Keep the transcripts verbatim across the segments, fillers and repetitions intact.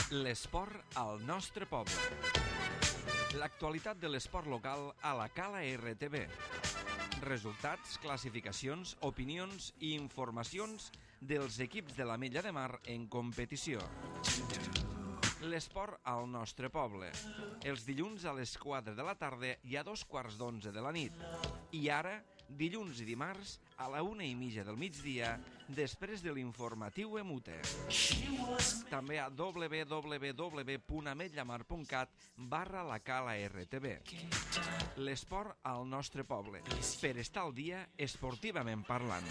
L'esport al nostre poble. L'actualitat de l'esport local a la Cala R T V. Resultats, classificacions, opinions i informacions dels equips de l'Ametlla de Mar en competició. L'esport al nostre poble. Els dilluns a les quatre de la tarda i a dos quarts d'onze de la nit. I ara, dilluns i dimarts, a la una i mitja del migdia, després de l'informatiu Emute. També a w w w punt ametllamar punt cat barra la Cala R T V. L'esport al nostre poble, per estar al dia esportivament parlant.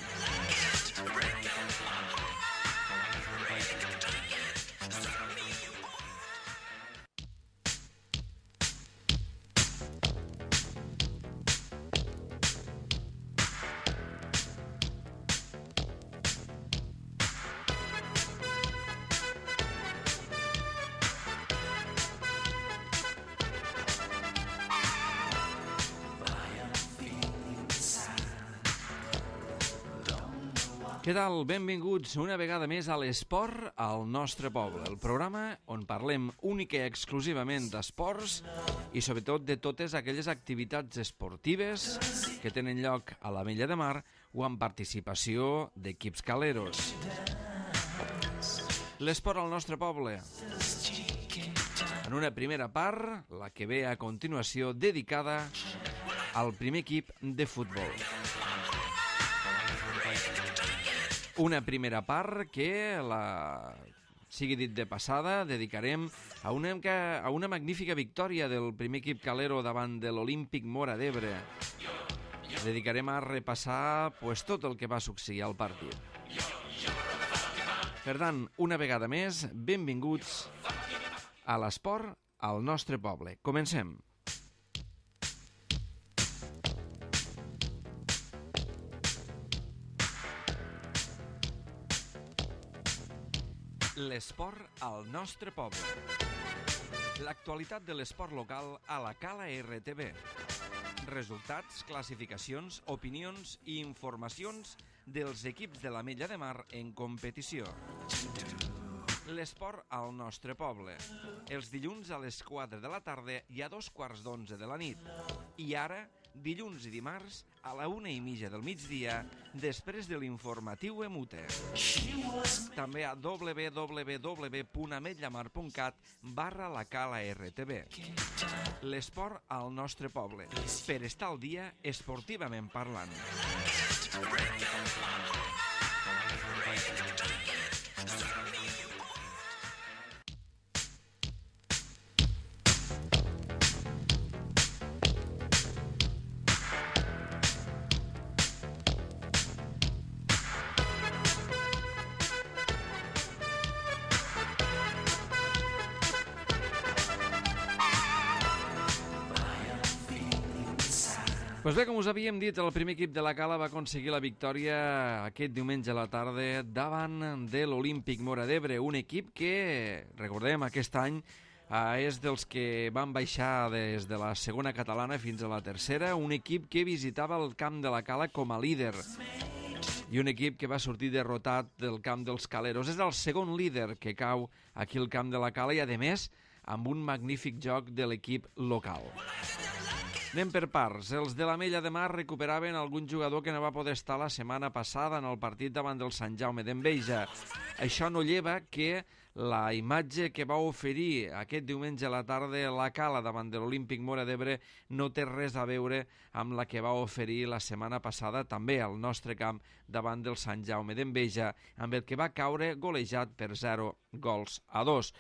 Què tal? Benvinguts una vegada més a l'esport al nostre poble, el programa on parlem únic i exclusivament d'esports i sobretot de totes aquelles activitats esportives que tenen lloc a l'Ametlla de Mar o amb participació d'equips caleros. L'esport al nostre poble. En una primera part, la que ve a continuació dedicada al primer equip de futbol. Una primera part que, la... sigui dit de passada, dedicarem a una, a una magnífica victòria del primer equip calero davant de l'Olímpic Móra d'Ebre. Dedicarem a repassar pues, tot el que va succeir al partit. Per tant, una vegada més, benvinguts a l'esport al nostre poble. Comencem. L'esport al nostre poble. L'actualitat de l'esport local a la Cala R T V. Resultats, classificacions, opinions i informacions dels equips de l'Ametlla de Mar en competició. L'esport al nostre poble. Els dilluns a les quatre de la tarda i a dos quarts d'onze de la nit. I ara, dilluns i dimarts, a la una i mitja del migdia, després de l'informatiu Emute. També a w w w punt ametllamar punt cat barra la Cala R T V. L'esport al nostre poble, per estar al dia esportivament parlant. Pues bé, com us havíem dit, el primer equip de la Cala va aconseguir la victòria aquest diumenge a la tarda davant de l'Olímpic Móra d'Ebre, un equip que, recordem, aquest any eh, és dels que van baixar des de la segona catalana fins a la tercera, un equip que visitava el camp de la Cala com a líder i un equip que va sortir derrotat del camp dels caleros. És el segon líder que cau aquí al camp de la Cala i, a més, amb un magnífic joc de l'equip local. Anem per parts. Els de l'Ametlla de Mar recuperaven algun jugador que no va poder estar la setmana passada en el partit davant del Sant Jaume d'Enveja. Això no lleva que la imatge que va oferir aquest diumenge a la tarda la Cala davant de l'Olímpic Móra d'Ebre no té res a veure amb la que va oferir la setmana passada també al nostre camp davant del Sant Jaume d'Enveja, amb el que va caure golejat per zero gols a dos.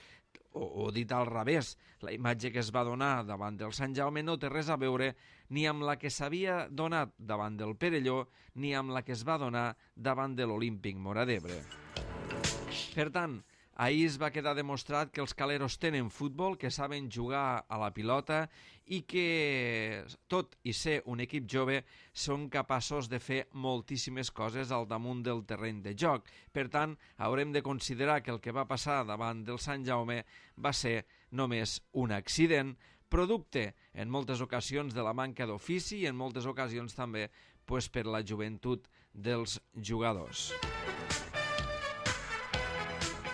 O, o dit al revés, la imatge que es va donar davant del Sant Jaume no té res a veure ni amb la que s'havia donat davant del Perelló ni amb la que es va donar davant de l'Olímpic Móra d'Ebre. Per tant, ahir es va quedar demostrat que els caleros tenen futbol, que saben jugar a la pilota i que, tot i ser un equip jove, són capaços de fer moltíssimes coses al damunt del terreny de joc. Per tant, haurem de considerar que el que va passar davant del Sant Jaume va ser només un accident, producte en moltes ocasions de la manca d'ofici i en moltes ocasions també pues, per la joventut dels jugadors.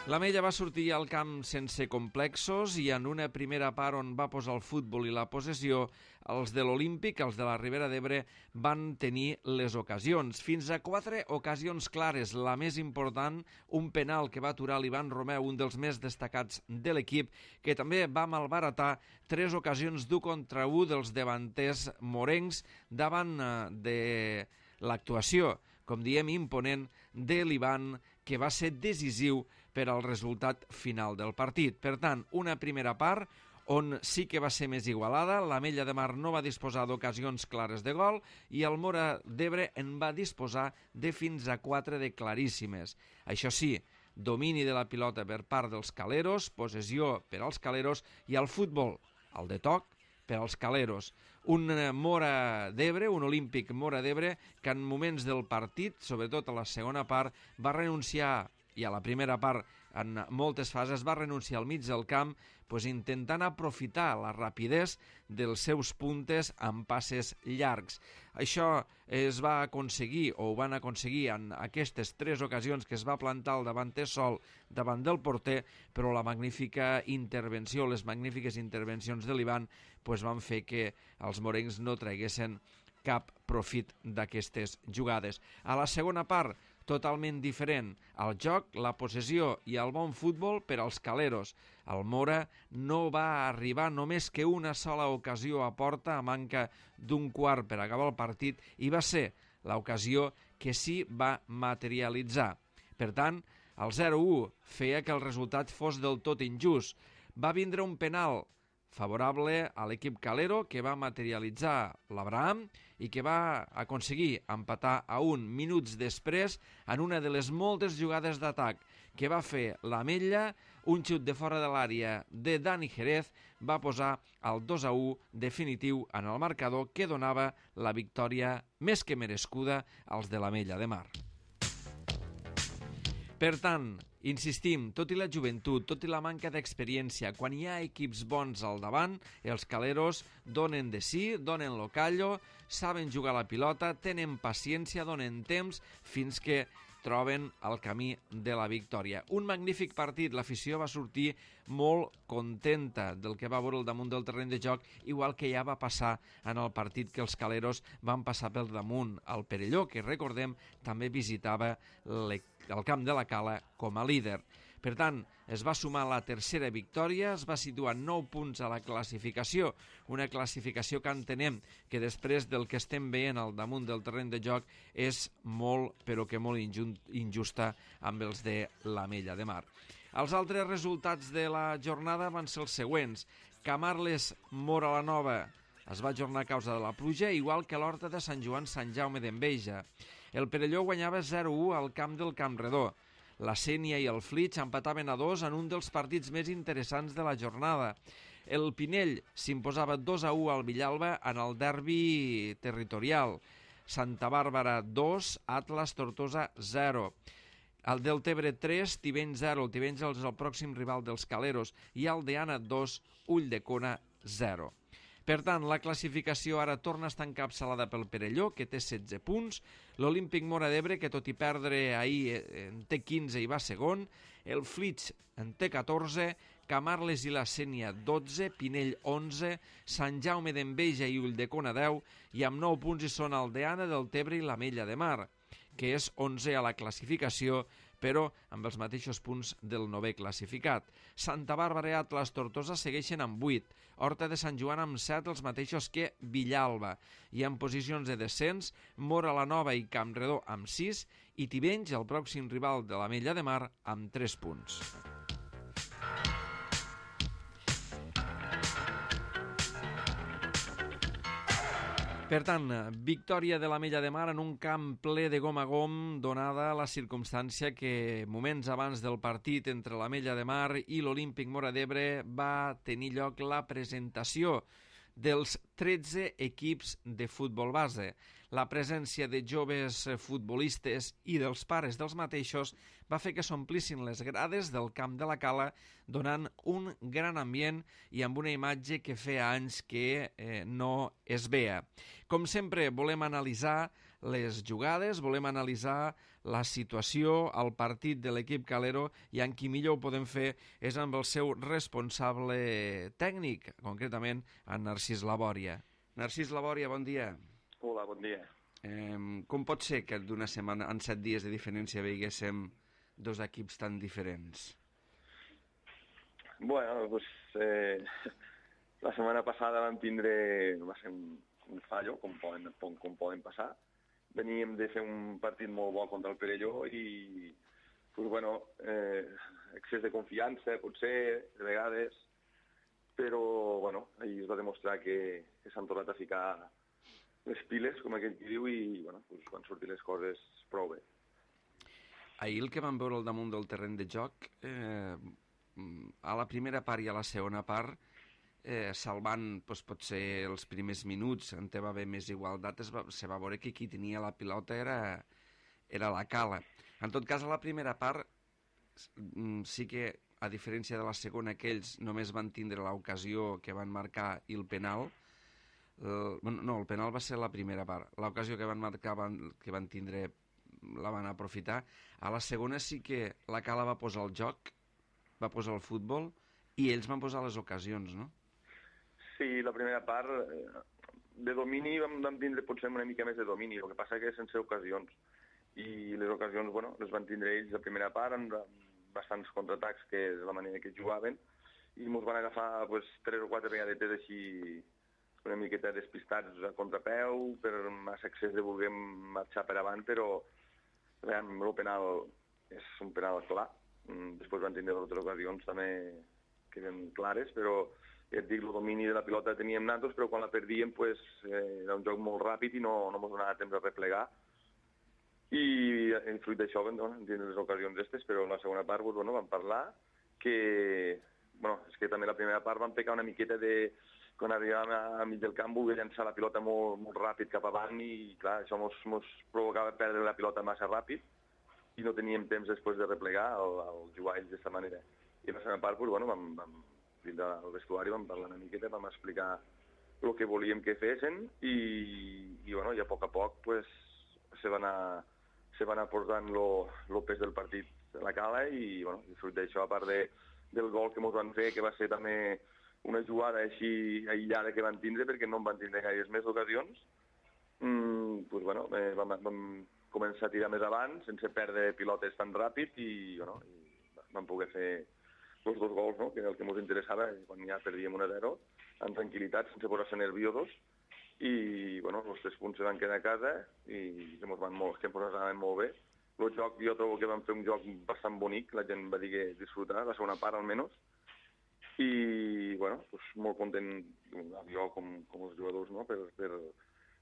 L'Amella va sortir al camp sense complexos i en una primera part on va posar el futbol i la possessió, els de l'Olímpic, els de la Ribera d'Ebre, van tenir les ocasions. Fins a quatre ocasions clares, la més important, un penal que va aturar l'Ivan Romeu, un dels més destacats de l'equip, que també va malbaratar tres ocasions d'u contra u dels davanters morencs davant de l'actuació, com diem, imponent de l'Ivan, que va ser decisiu per al resultat final del partit. Per tant, una primera part on sí que va ser més igualada, l'Amella de Mar no va disposar d'ocasions clares de gol i el Móra d'Ebre en va disposar de fins a quatre de claríssimes. Això sí, domini de la pilota per part dels caleros, possessió per als caleros i el futbol, el de toc, per als caleros. Un Móra d'Ebre, un Olímpic Móra d'Ebre, que en moments del partit, sobretot a la segona part, va renunciar, i a la primera part en moltes fases va renunciar al mig del camp, pues, intentant aprofitar la rapidesa dels seus puntes amb passes llargs. Això es va aconseguir, o ho van aconseguir en aquestes tres ocasions que es va plantar el davanter sol davant del porter, però la magnífica intervenció, les magnífiques intervencions de l'Ivan, pues, van fer que els morencs no traguessin cap profit d'aquestes jugades. A la segona part, totalment diferent. El joc, la possessió i el bon futbol per als caleros. El Móra no va arribar només que una sola ocasió a porta a manca d'un quart per acabar el partit i va ser l'ocasió que sí va materialitzar. Per tant, el zero a u feia que el resultat fos del tot injust. Va vindre un penal favorable a l'equip calero que va materialitzar l'Abraham i que va aconseguir empatar a un minuts després en una de les moltes jugades d'atac que va fer l'Amella. Un xut de fora de l'àrea de Dani Jerez va posar el dos a u definitiu en el marcador que donava la victòria més que merescuda als de l'Amella de Mar. Per tant, insistim, tot i la joventut, tot i la manca d'experiència, quan hi ha equips bons al davant, els caleros donen de sí, donen lo callo, saben jugar la pilota, tenen paciència, donen temps fins que troben el camí de la victòria. Un magnífic partit, l'afició va sortir molt contenta del que va veure al damunt del terreny de joc, igual que ja va passar en el partit que els caleros van passar pel damunt al Perelló, que recordem també visitava el camp de la Cala com a líder. Per tant, es va sumar la tercera victòria, es va situar nou punts a la classificació, una classificació que entenem que després del que estem veient al damunt del terreny de joc és molt, però que molt injusta amb els de l'Amella de Mar. Els altres resultats de la jornada van ser els següents. Camarles Móra la Nova es va ajornar a causa de la pluja, igual que l'Horta de Sant Joan Sant Jaume d'Enveja. El Perelló guanyava zero a u al camp del Campredó. La Sénia i el Flix empataven a dos en un dels partits més interessants de la jornada. El Pinell s'imposava dos a u al Villalba en el derbi territorial. Santa Bàrbara dos, Atlas Tortosa zero. El Deltebre tres, Tivenys zero. El Tivenys és el pròxim rival dels caleros. I Aldeana dos, Ulldecona zero. Per tant, la classificació ara torna a estar encapçalada pel Perelló, que té setze punts, l'Olímpic Móra d'Ebre, que tot i perdre ahir en té quinze i va segon, el Flix en té catorze, Camarles i la Sénia dotze, Pinell onze, Sant Jaume d'Enveja i Ulldecona deu, i amb nou punts hi són Aldeana, Deltebre i l'Amella de Mar, que és onze a la classificació, però amb els mateixos punts del novè classificat. Santa Bàrbara i Atlas Tortosa segueixen amb vuit, Horta de Sant Joan amb set, els mateixos que Villalba, i en posicions de descens, Móra la Nova i Campredó amb sis, i Tivenys, el pròxim rival de l'Amella de Mar, amb tres punts. Per tant, victòria de l'Amella de Mar en un camp ple de gom a gom, donada la circumstància que moments abans del partit entre l'Amella de Mar i l'Olímpic Móra d'Ebre va tenir lloc la presentació dels tretze equips de futbol base. La presència de joves futbolistes i dels pares dels mateixos va fer que s'omplissin les grades del camp de la Cala, donant un gran ambient i amb una imatge que feia anys que eh, no es veia. Com sempre, volem analitzar les jugades, volem analitzar la situació, el partit de l'equip calero, i en qui millor ho podem fer és amb el seu responsable tècnic, concretament en Narcís Labòria. Narcís Labòria, bon dia. Hola, bon dia. Eh, com pot ser que d'una setmana, en set dies de diferència, veiguéssim dos equips tan diferents? Bueno, pues, eh, la setmana passada vam tindre, va ser un, un fallo, com poden, com, com poden passar. Veníem de fer un partit molt bo contra el Perelló i, pues, bueno, eh, excés de confiança, potser, de vegades, però, bueno, ahir es va demostrar que, que s'han tornat a ficar les piles, com aquell qui diu, i, bueno, pues, van sortir les coses prou bé. Ahir el que vam veure al damunt del terreny de joc, eh, a la primera part i a la segona part, eh, salvant doncs, potser els primers minuts, on va haver més igualtat, es va, se va veure que qui tenia la pilota era, era la Cala. En tot cas, a la primera part, sí que, a diferència de la segona, que ells només van tindre l'ocasió que van marcar i el penal. El, no, el penal va ser la primera part. L'ocasió que van marcar, van, que van tindre, la van aprofitar. A la segona sí que la Cala va posar el joc, va posar el futbol, i ells van posar les ocasions, no? Sí, la primera part, de domini vam, vam tindre potser una mica més de domini, el que passa que sense ocasions. I les ocasions, bueno, les van tindre ells la primera part, amb bastants contraatacs, que és la manera que jugaven, i ens van agafar pues, tres o quatre vegades així una miqueta despistats a contrapeu, per massa excés de voler marxar per avant, però realment el penal és un penal clar. Després van tindre altres ocasions també que eren clares, però ja et dic, el domini de la pilota teníem nosaltres, però quan la perdíem pues, eh, era un joc molt ràpid i no, no ens donava temps de replegar. I, i fruit d'això vam no, tindre les ocasions aquestes, però en la segona part pues, bueno, vam parlar que, bueno, és que també la primera part vam pecar una miqueta de, quan arribàvem a, a mig del camp, volia llançar la pilota molt, molt ràpid cap avant i clar, això ens provocava perdre la pilota massa ràpid i no teníem temps després de replegar el, el jugar ells d'aquesta manera. I en la segona part, pues, bueno, vam, vam dins del vestuari vam parlar una miqueta, vam explicar el que volíem que fessin i, i, bueno, i a poc a poc pues, se va anar, se va anar portant el pes del partit a la Cala i, bueno, i fruit d'això, a part de, del gol que ens van fer, que va ser també una jugada així aïllada que van tindre, perquè no en van tindre gaires més ocasions, mm, pues, bueno, eh, vam, vam començar a tirar més avant, sense perdre pilotes tan ràpid i, bueno, i vam poder fer els dos gols, no? Que era el que ens interessava, quan ja perdíem un a zero, amb tranquil·litat, sense posar-se nerviosos, i bueno, els tres punts se van quedar a casa i que ens van molt, que ens anaven molt bé. El joc, jo trobo que vam fer un joc bastant bonic, la gent va dir que disfrutar, la segona part almenys, i bueno, doncs molt content, jo com, com els jugadors, no? per, per,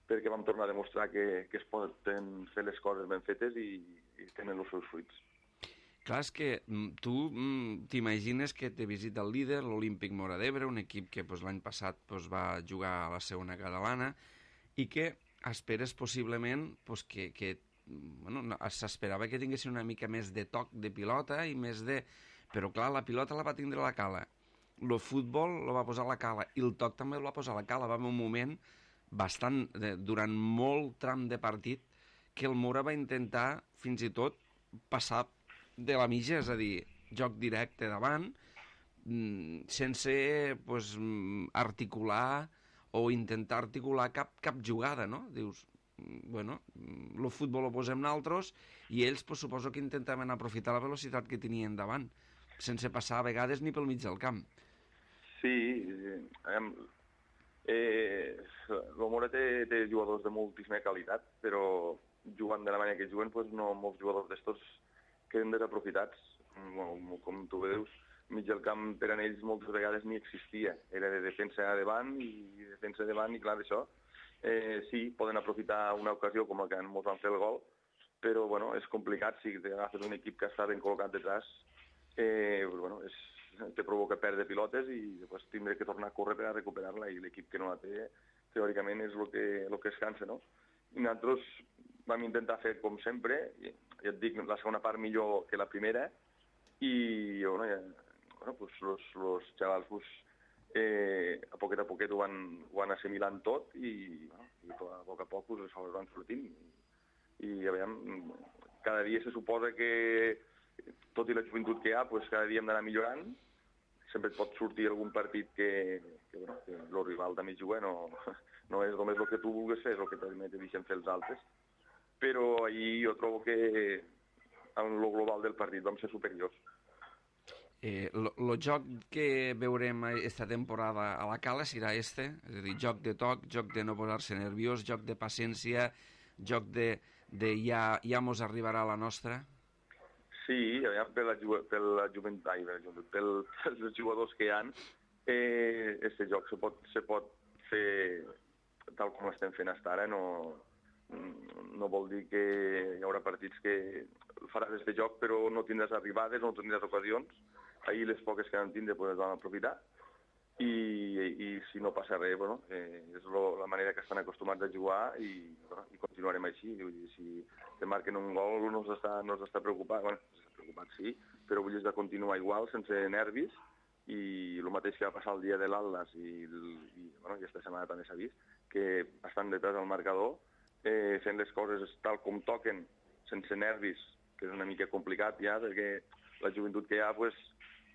perquè vam tornar a demostrar que, que es poden fer les coses ben fetes i, i tenen els seus fruits. Clar, és que tu t'imagines que te visita el líder, l'Olímpic Móra d'Ebre, un equip que pues, l'any passat pues, va jugar a la segona catalana i que esperes possiblement pues, que, que bueno, s'esperava que tinguessin una mica més de toc de pilota i més de... Però clar, la pilota la va tindre la Cala, el futbol el va posar la Cala i el toc també el va posar la Cala. Va haver un moment bastant, durant molt tram de partit, que el Móra va intentar fins i tot passar de la mitja, és a dir, joc directe davant, sense pues, articular o intentar articular cap, cap jugada, no? Dius, bueno, el futbol ho posem nosaltres i ells pues, suposo que intentaven aprofitar la velocitat que tenien davant, sense passar a vegades ni pel mig del camp. Sí, eh, eh, el Móra té, té jugadors de moltíssima qualitat, però jugant de la manera que juguen, pues, no molts jugadors d'estos queden desaprofitats. Bueno, com tu veus, mig del camp per a ells moltes vegades ni existia. Era de defensa a davant i defensa a davant i clar, això eh, sí, poden aprofitar una ocasió com la que ens van fer el gol, però bueno, és complicat si agafes un equip que està ben col·locat detrás, eh, bueno, és, te provoca perdre pilotes i després tindré que tornar a córrer per a recuperar-la i l'equip que no la té teòricament és el que, el que es cansa, no? I nosaltres vam intentar fer com sempre, i, ja et dic, la segona part millor que la primera, i bueno, ja, bueno pues, los, los xavals pues, eh, a poquet a poquet ho van, ho van assimilant tot i, bueno, i a poc a poc pues, les coses van sortint. I, i a veure, cada dia se suposa que, tot i la joventut que hi ha, pues, cada dia hem d'anar millorant. Sempre et pot sortir algun partit que, que, bueno, que el rival també juga, no, no és només el que tu vulguis fer, és el que també te deixen fer els altres. Però ahir jo trobo que en el global del partit vam ser superiors. Eh, el joc que veurem esta temporada a la Cala serà este, és a dir, joc de toc, joc de no posar-se nerviós, joc de paciència, joc de, de ja, ja mos arribarà la nostra. Sí, per la, per la joventut, ai, per els jugadors que hi ha, eh, este joc se pot, se pot fer tal com l'estem fent fins ara. No, no vol dir que hi haurà partits que faràs este joc però no tindràs arribades, no tindràs ocasions. Ahir les poques que vam tindre pues, les vam aprofitar. I, i si no passa res, bueno, eh, és lo, la manera que estan acostumats a jugar i, bueno, i continuarem així. Vull dir, si te marquen un gol no s'està no s'està preocupat, bueno, s'està preocupat sí, però vull dir, de continuar igual, sense nervis, i el mateix que va passar el dia de l'Atlas i, i, bueno, i aquesta setmana també s'ha vist, que estan detrás del marcador, eh, fent les coses tal com toquen, sense nervis, que és una mica complicat ja, perquè la joventut que hi ha, pues,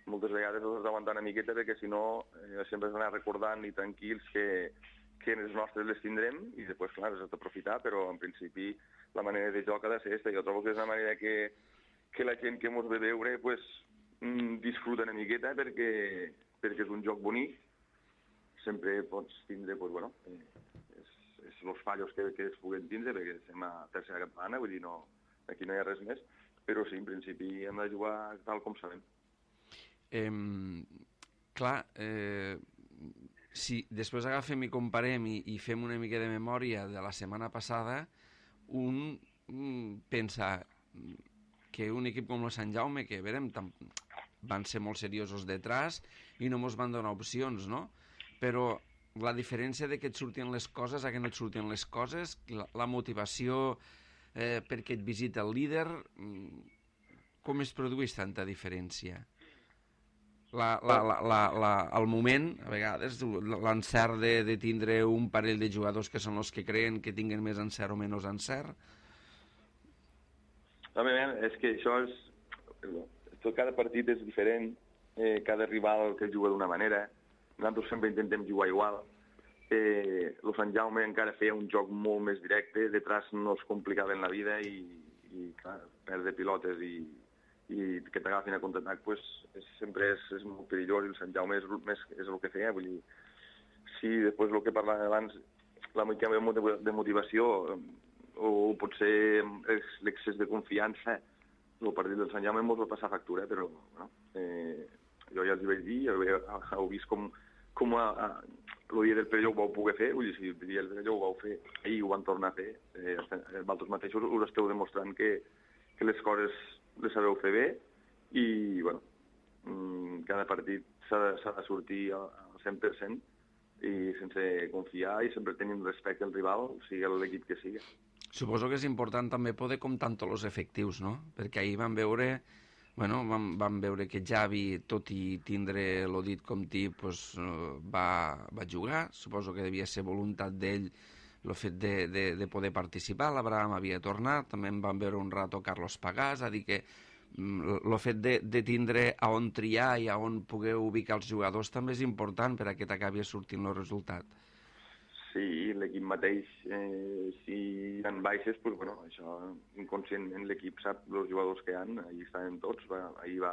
moltes vegades els has d'aguantar una miqueta perquè si no eh, sempre has d'anar recordant i tranquils que, que les nostres les tindrem i després, clar, les has d'aprofitar, però en principi la manera de joc ha de ser aquesta. Jo trobo que és una manera que, que la gent que mos ve veure pues, mm, disfruta una miqueta perquè, perquè és un joc bonic. Sempre pots tindre, pues, bueno, eh, és, és els fallos que, que es puguen tindre perquè estem a tercera campana, vull dir, no, aquí no hi ha res més, però sí, en principi hem de jugar tal com sabem. Eh, clar, eh, si després agafem i comparem i, i fem una mica de memòria de la setmana passada, un mm, pensa que un equip com el Sant Jaume, que verem, van ser molt seriosos detrás i no ens van donar opcions, no? Però la diferència de que et surtin les coses a que no et surtin les coses, la, la motivació eh, perquè et visita el líder, com es produeix tanta diferència? La, la, la, la, la, al moment, a vegades, l'encert de, de tindre un parell de jugadors que són els que creen que tinguen més encert o menys encert? Home, és que això és... Cada partit és diferent, eh, cada rival que juga d'una manera, nosaltres sempre intentem jugar igual. Eh, el Sant Jaume encara feia un joc molt més directe, detrás no es complicava en la vida i, i clar, perdre pilotes i... i que t'agafin a contraatac pues, és, sempre és, és molt perillós i el Sant Jaume és, més, és el que feia. Vull dir, sí, després el que parlàvem abans, la mica de motivació o potser l'excés de confiança, el partit del Sant Jaume ens va passar factura, però bueno, eh, jo ja els hi vaig dir, heu vist com, com a, a, el dia del Perelló ho vau poder fer, vull dir, si el dia del Perelló ho vau fer, ahir ho van tornar a fer, eh, vosaltres mateixos us esteu demostrant que, que les coses les sabeu fer bé i, bueno, cada partit s'ha de, s'ha de sortir al cent per cent i sense confiar i sempre tenint respecte al rival, sigui l'equip que sigui. Suposo que és important també poder comptar amb tots els efectius, no? Perquè ahir vam veure, bueno, vam, vam veure que Javi, tot i tindre el dit com tip, pues, va, va jugar. Suposo que devia ser voluntat d'ell el fet de, de, de poder participar. L'Abraham havia tornat, també en vam veure un rato Carlos Pagàs, a dir que el fet de, de tindre a on triar i a on poder ubicar els jugadors també és important per a que t'acabi sortint el resultat. Sí, l'equip mateix, eh, si hi ha baixes, pues, bueno, això inconscientment l'equip sap els jugadors que hi ha, ahir estaven tots, va, ahir va,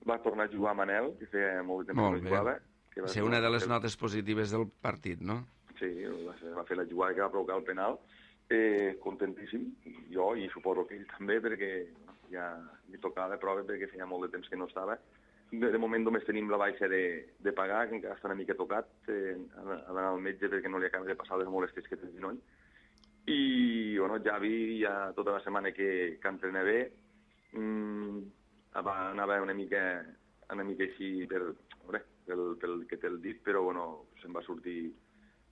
va tornar a jugar Manel, que feia molt de temps que no jugava. Que va ser una de les notes positives del partit, no? Sí, va, ser, va fer la jugada que va provocar el penal, eh, contentíssim, jo i suposo que ell també, perquè bueno, ja li tocava de prova perquè feia molt de temps que no estava. De, de moment només tenim la baixa de, de pagar, que encara està una mica tocat, eh, ha d'anar al metge perquè no li acaba de passar les molèsties que té el genoll. I, bueno, Javi ja tota la setmana que, que entrena bé, mmm, anava una mica, una mica així per, veure, pel, pel que té el dit, però bueno, se'n va sortir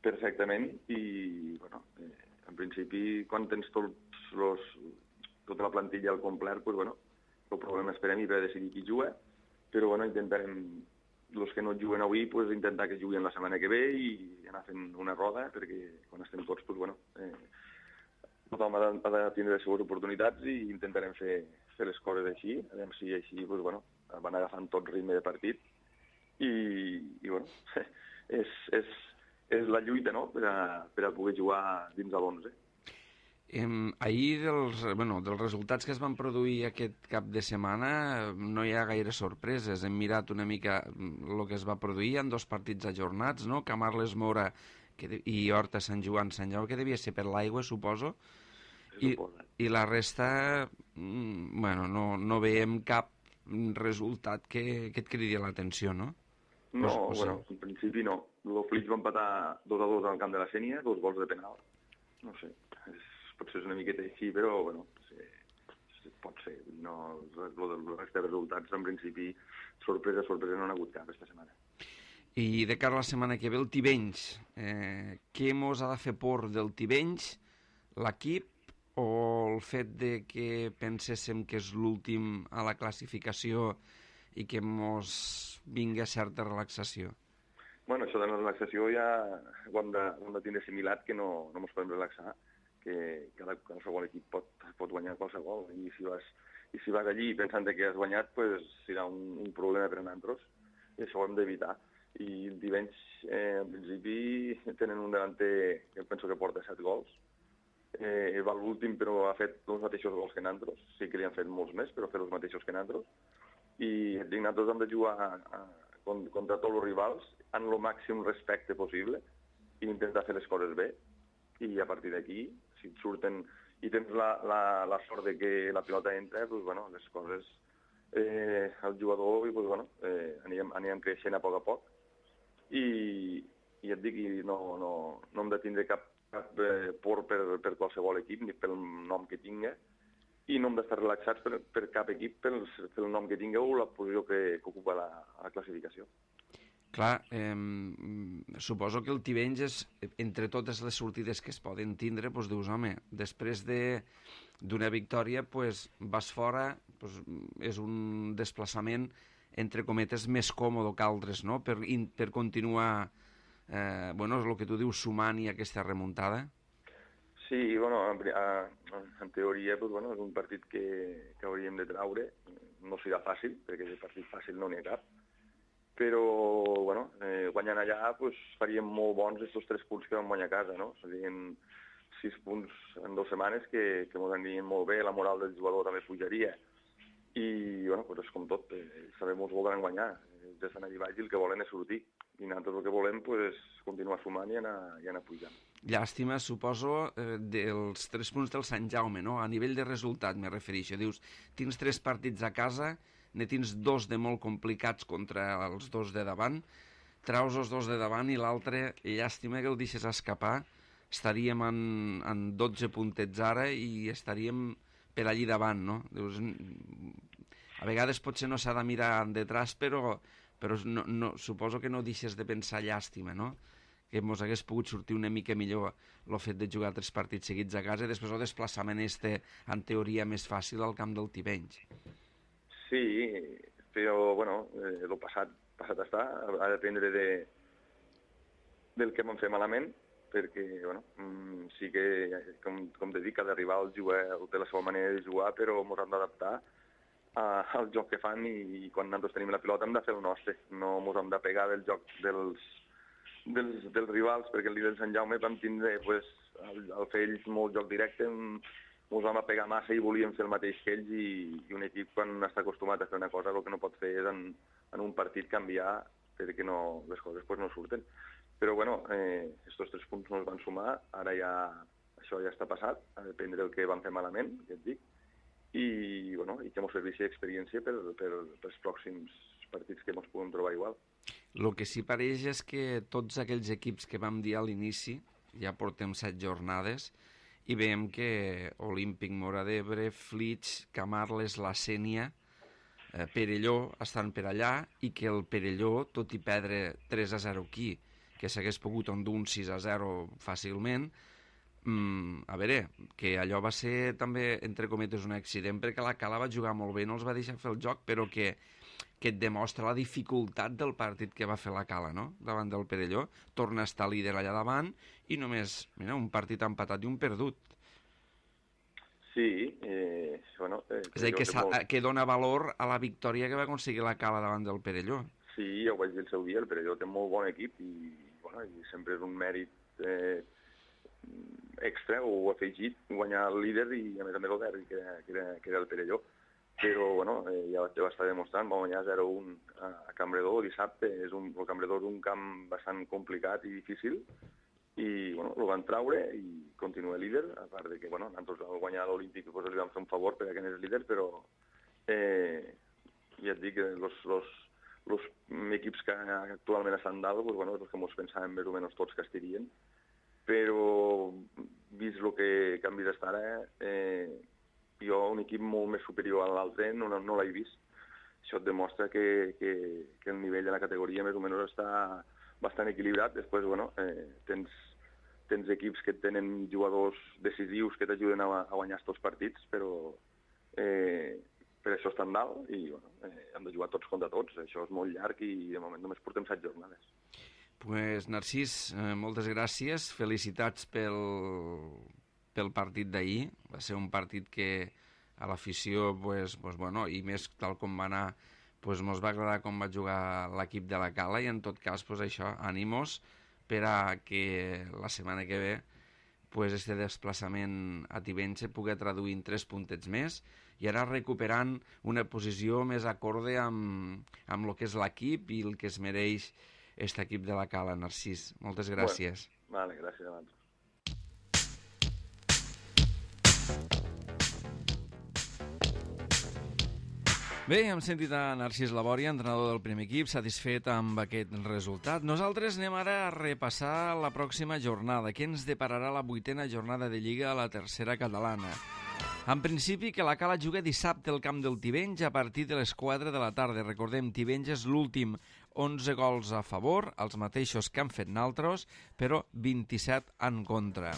perfectament i, bueno, eh, en principi, quan tens tots los, tota la plantilla al complet, pues, bueno, el problema és per a mi per decidir qui juga, però bueno, intentarem, els que no juguen avui, pues, intentar que juguin la setmana que ve i anar fent una roda, perquè quan estem tots, pues, bueno, eh, tothom ha de, ha de tindre les seves oportunitats i intentarem fer, fer les coses així, a veure si així, pues, bueno, van agafant tot ritme de partit i, i bueno, és, és, és la lluita, no?, per a, per a poder jugar dins de l'onze. Eh, ahir, dels, bueno, dels resultats que es van produir aquest cap de setmana, no hi ha gaire sorpreses. Hem mirat una mica el que es va produir en dos partits ajornats, no? Camarles Mora que de, i Horta Sant Joan Sant Jau, que devia ser per l'aigua, suposo. I, I la resta, bueno, no, no veiem cap resultat que, que et cridi l'atenció, no? No, o, o bueno, en principi no. El Flix va empatar dos a dos al camp de la Sénia, dos gols de penal. No sé, és, potser és una miqueta així, però bueno, sí, sí, pot ser. No, el resta de resultats, en principi, sorpresa, sorpresa, no n'ha hagut cap aquesta setmana. I de cara a la setmana que ve, el Tivenys. Eh, què mos ha de fer por del Tivenys? L'equip o el fet de que penséssim que és l'últim a la classificació i que mos vinga certa relaxació? Bueno, això de la relaxació ja ho hem de, ho hem de tindre assimilat, que no, no ens podem relaxar, que cada, qualsevol equip pot, pot guanyar qualsevol, i si vas, i si vas allí pensant que has guanyat, pues, serà un, un problema per a nosaltres, i això ho hem d'evitar. I el Tivenys, eh, en principi, tenen un delanter que penso que porta set gols, eh, va l'últim però ha fet els mateixos gols que nosaltres, sí que li han fet molts més, però ha fet els mateixos que nosaltres, i et dic, nosaltres hem de jugar a, a, contra tots els rivals amb el màxim respecte possible i intentar fer les coses bé, i a partir d'aquí, si et surten i tens la, la, la sort de que la pilota entra, doncs, bueno, les coses, eh, el jugador, i, doncs, bueno, eh, anirem, anirem creixent a poc a poc, i, i et dic, no, no, no hem de tindre cap, cap eh, por per, per qualsevol equip, ni pel nom que tinga, i no hem d'estar relaxats per, per cap equip pel, pel nom que tingueu o la posició que, que ocupa la, la classificació. Clar, eh, suposo que el Tivenys és, entre totes les sortides que es poden tindre, doncs dius, home, després d'una victòria, doncs, vas fora, doncs, és un desplaçament, entre cometes, més còmode que altres, no?, per, per continuar, eh, bueno, és el que tu dius, sumant i aquesta remuntada. Sí, bueno, en, en teoria, pues, bueno, és un partit que, que hauríem de traure. No serà fàcil, perquè de partit fàcil no n'hi ha cap. Però, bueno, eh, guanyant allà, pues, faríem molt bons aquests tres punts que vam guanyar a casa, no? Serien sis punts en dues setmanes que, que ens anirien molt bé, la moral del jugador també pujaria. I, bueno, pues és com tot, eh, sabem que ens voldran guanyar. Ells estan allà baix i el que volen és sortir. I nosaltres el que volem és continuar sumant i anar, i anar pujant. Llàstima, suposo, eh, dels tres punts del Sant Jaume, no? A nivell de resultat, me refereixo. Dius, tens tres partits a casa, ne tens dos de molt complicats contra els dos de davant, traus els dos de davant i l'altre, llàstima que el deixes escapar, estaríem en, en dotze puntets ara i estaríem per allí davant, no? Dius, a vegades potser no s'ha de mirar detrás, però, però no, no, suposo que no deixes de pensar llàstima, no? Que mos hagués pogut sortir una mica millor el fet de jugar tres partits seguits a casa i després el desplaçament este, en teoria, més fàcil al camp del Tivenys. Sí, però, bueno, eh, el passat, passat està, ha de dependre de, del que vam fer malament, perquè, bueno, sí que, com, com te dic, cada rival juga, té la seva manera de jugar, però ens hem d'adaptar al joc que fan i, i quan nosaltres tenim la pilota hem de fer el nostre, no ens hem de pegar del joc dels, dels, dels rivals, perquè el dia del Sant Jaume vam tindre, pues, al, al fer ells molt joc directe, ens vam pegar massa i volíem fer el mateix que ells i, i un equip quan està acostumat a fer una cosa el que no pot fer és en, en un partit canviar perquè no, les coses pues, no surten. Però bueno, eh, estos tres punts no es van sumar, ara ja això ja està passat, a dependre del que vam fer malament, ja et dic, i, bueno, i que ens serveixi d'experiència per, per, per els pròxims partits que ens puguem trobar igual. El que sí pareix és que tots aquells equips que vam dir a l'inici, ja portem set jornades, i veiem que Olímpic, Móra d'Ebre, Flix, Camarles, la Sénia, eh, Perelló estan per allà i que el Perelló, tot i perdre tres a zero aquí que s'hagués pogut endur un sis a zero fàcilment. Mm, a veure, que allò va ser també, entre cometes, un accident, perquè la Cala va jugar molt bé, no els va deixar fer el joc, però que, que et demostra la dificultat del partit que va fer la Cala, no?, davant del Perelló. Torna a estar líder allà davant i només, mira, un partit empatat i un perdut. Sí, eh, bueno... Eh, és a dir, que, molt... que dona valor a la victòria que va aconseguir la Cala davant del Perelló. Sí, ja ho vaig dir el seu dia, el Perelló té molt bon equip i, bueno, i sempre és un mèrit eh, extra o afegit guanyar el líder i a més a més el derbi, que, que, era, que era el Perelló. Però bueno, eh, ja va estar demostrant, va guanyar zero a un a, a Campredó dissabte. És un, el Campredó és un camp bastant complicat i difícil i bueno, el van traure i continua líder, a part de que bueno, nosaltres al guanyar l'Olímpic pues, li vam fer un favor perquè n'és líder, però eh, ja et dic que els, els, els equips que actualment estan dalt pues, bueno, és els que ens pensàvem més o menys tots que estirien, però vist el que, que han vist estar ara, eh, jo un equip molt més superior a l'altre no, no, no l'he vist. Això et demostra que, que, que el nivell de la categoria més o menys està bastant equilibrat. Després, bueno, eh, tens, tens equips que tenen jugadors decisius que t'ajuden a, a guanyar aquests partits, però eh, per això estan dalt i bueno, eh, hem de jugar tots contra tots. Això és molt llarg i de moment només portem set jornades. Pues, Narcís, eh, moltes gràcies, felicitats pel, pel partit d'ahir. Va ser un partit que a l'afició, pues, pues, bueno, i més tal com va anar, pues, mos va agradar com va jugar l'equip de la Cala i en tot cas, pues, això, ànimos per a que la setmana que ve pues, este desplaçament a Tivenys pugui traduir en tres puntets més i ara recuperant una posició més acorde amb, amb el que és l'equip i el que es mereix aquest equip de la Cala. Narcís, moltes gràcies. Bueno, vale, gràcies a vosaltres. Bé, hem sentit a Narcís Labòria, entrenador del primer equip, satisfet amb aquest resultat. Nosaltres anem ara a repassar la pròxima jornada. Què ens depararà la vuitena jornada de Lliga a la tercera catalana? En principi, que la Cala juga dissabte al camp del Tivenys a partir de les quatre de la tarda. Recordem, Tivenys és l'últim, onze gols a favor, els mateixos que han fet naltros, però vint-i-set en contra.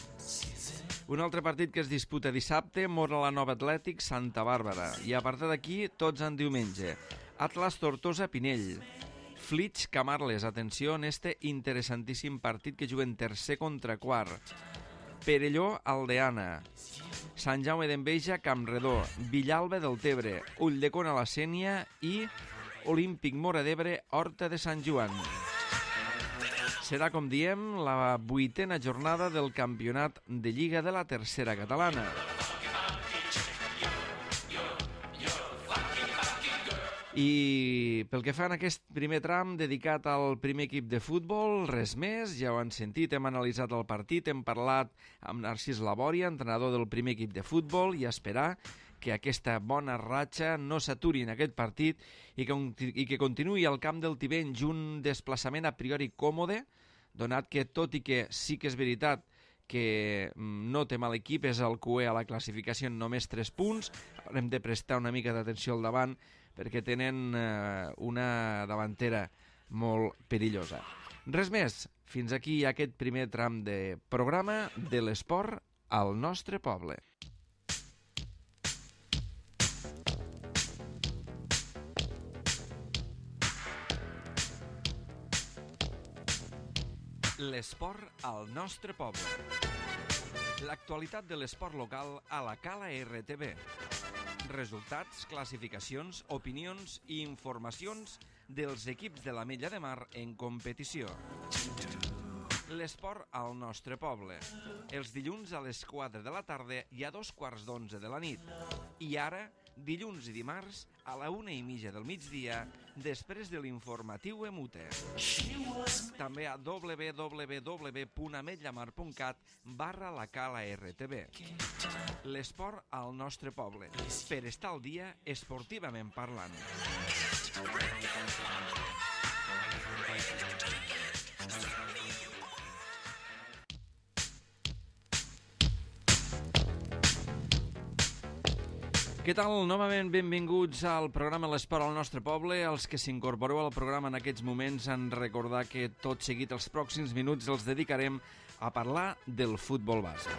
Un altre partit que es disputa dissabte, Mora la Nova Atlètic, Santa Bàrbara. I a partir d'aquí, tots en diumenge. Atlas Tortosa Pinell. Flix Camarles, atenció en este interessantíssim partit que juguen tercer contra quart. Perelló Aldeana. Sant Jaume d'Enveja, Campredó. Villalba del Tebre. Ulldecona la Sénia i Olímpic Móra d'Ebre, Horta de Sant Joan. Serà, com diem, la vuitena jornada del campionat de Lliga de la tercera catalana. I pel que fa en aquest primer tram dedicat al primer equip de futbol, res més, ja ho han sentit, hem analitzat el partit, hem parlat amb Narcís Labòria, entrenador del primer equip de futbol, i esperar que aquesta bona ratxa no s'aturi en aquest partit i que, i que continuï al camp del Tivenys un desplaçament a priori còmode, donat que, tot i que sí que és veritat que no té mal equip, és el Q E a la classificació en només tres punts, hem de prestar una mica d'atenció al davant perquè tenen eh, una davantera molt perillosa. Res més, fins aquí aquest primer tram de programa de l'esport al nostre poble. L'esport al nostre poble. L'actualitat de l'esport local a la Cala R T V. Resultats, classificacions, opinions i informacions dels equips de l'Ametlla de Mar en competició. L'esport al nostre poble. Els dilluns a les quatre de la tarda i a dos quarts d'onze de la nit. I ara, dilluns i dimarts, a la una i mitja del migdia, després de l'informatiu Emute. També a w w w punt ametllamar punt cat barra la Cala R T V. L'esport al nostre poble, per estar al dia esportivament parlant. Què tal? Novament benvinguts al programa L'Esport al nostre poble. Els que s'incorporeu al programa en aquests moments han de recordar que tot seguit els pròxims minuts els dedicarem a parlar del futbol base.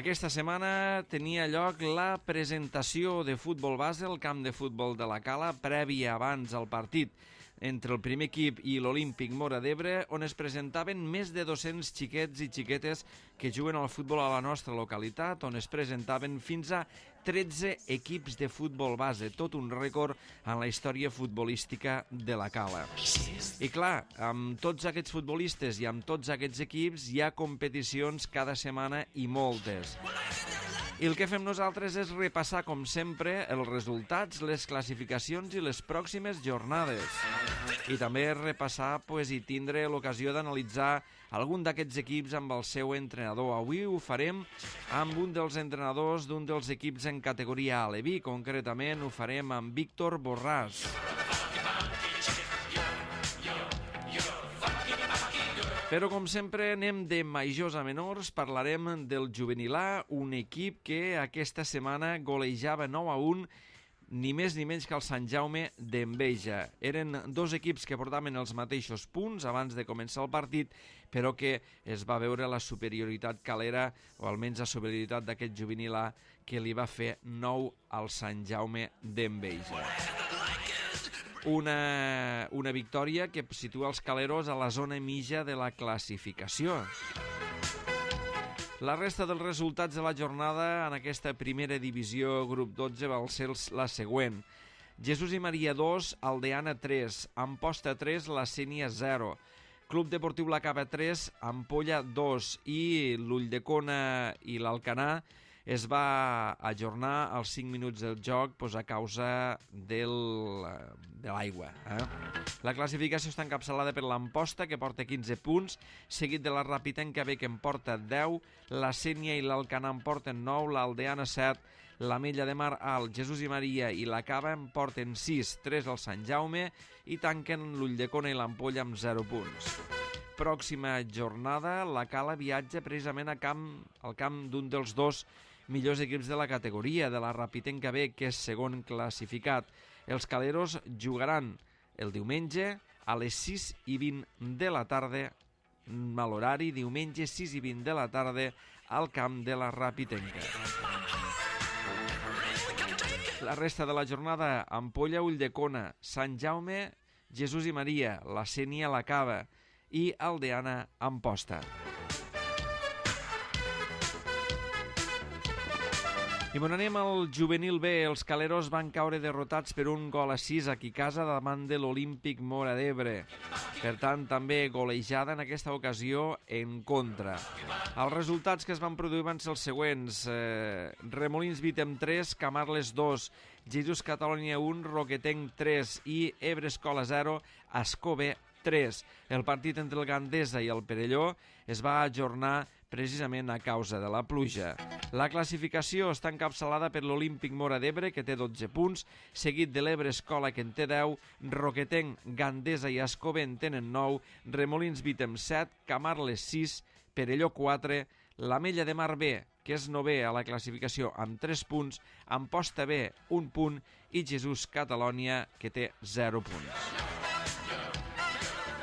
Aquesta setmana tenia lloc la presentació de futbol base al camp de futbol de la Cala, prèvia abans al partit entre el primer equip i l'Olímpic Móra d'Ebre, on es presentaven més de dos-cents xiquets i xiquetes que juguen al futbol a la nostra localitat, on es presentaven fins a tretze equips de futbol base, tot un rècord en la història futbolística de la Cala. I clar, amb tots aquests futbolistes i amb tots aquests equips hi ha competicions cada setmana i moltes. I el que fem nosaltres és repassar, com sempre, els resultats, les classificacions i les pròximes jornades. I també repassar pues, i tindre l'ocasió d'analitzar algun d'aquests equips amb el seu entrenador. Avui ho farem amb un dels entrenadors d'un dels equips en categoria A, l'Evi. Concretament ho farem amb Víctor Borràs. Però, com sempre, anem de majors a menors. Parlarem del juvenil A, un equip que aquesta setmana golejava nou a un, ni més ni menys que el Sant Jaume d'Enveja. Eren dos equips que portaven els mateixos punts abans de començar el partit, però que es va veure la superioritat calera, o almenys la superioritat d'aquest juvenil A, que li va fer nou al Sant Jaume d'Enveja. Una, una victòria que situa els caleros a la zona mitja de la classificació. La resta dels resultats de la jornada en aquesta primera divisió grup dotze va ser la següent. Jesús i Maria dos, Aldeana tres, Amposta tres, La Sénia zero, Club Deportiu La Cava tres, Ampolla dos i l'Ulldecona i l'Alcanar es va ajornar als cinc minuts del joc pues, a causa del, de l'aigua. Eh? La classificació està encapçalada per l'Amposta, que porta quinze punts, seguit de la Rapitenca B, que en porta deu, la Sénia i l'Alcanar en porten nou, l'Aldeana set, la Mella de Mar Alt, Jesús i Maria i la Cava en porten sis, tres al Sant Jaume, i tanquen l'Ulldecona i l'Ampolla amb zero punts. Pròxima jornada, la Cala viatja precisament a camp, al camp d'un dels dos millors equips de la categoria, de la Rapitenca B, que és segon classificat. Els caleros jugaran el diumenge a les sis i vint de la tarda, a l'horari diumenge sis i vint de la tarda, al camp de la Rapitenca. La resta de la jornada, Ampolla, Ulldecona, Sant Jaume, Jesús i Maria, la Sénia, la Cava i Aldeana, Amposta. I bon, anem al juvenil B. Els caleros van caure derrotats per un gol a sis aquí a casa davant de l'Olímpic Móra d'Ebre. Per tant, també golejada en aquesta ocasió en contra. Els resultats que es van produir van ser els següents. Eh, Remolins Vitem tres, Camarles dos, Jesús Catalunya un, Roquetenc tres i Ebre Escola zero, Ascó B tres. El partit entre el Gandesa i el Perelló es va ajornar precisament a causa de la pluja. La classificació està encapçalada per l'Olímpic Móra d'Ebre, que té dotze punts, seguit de l'Ebre Escola, que en té deu, Roquetenc, Gandesa i Ascó B en tenen nou, Remolins Vitem set, Camarles sis, Perelló quatre, la Mella de Mar B, que és novè a la classificació amb tres punts, Amposta B un punt i Jesús Catalunya, que té zero punts.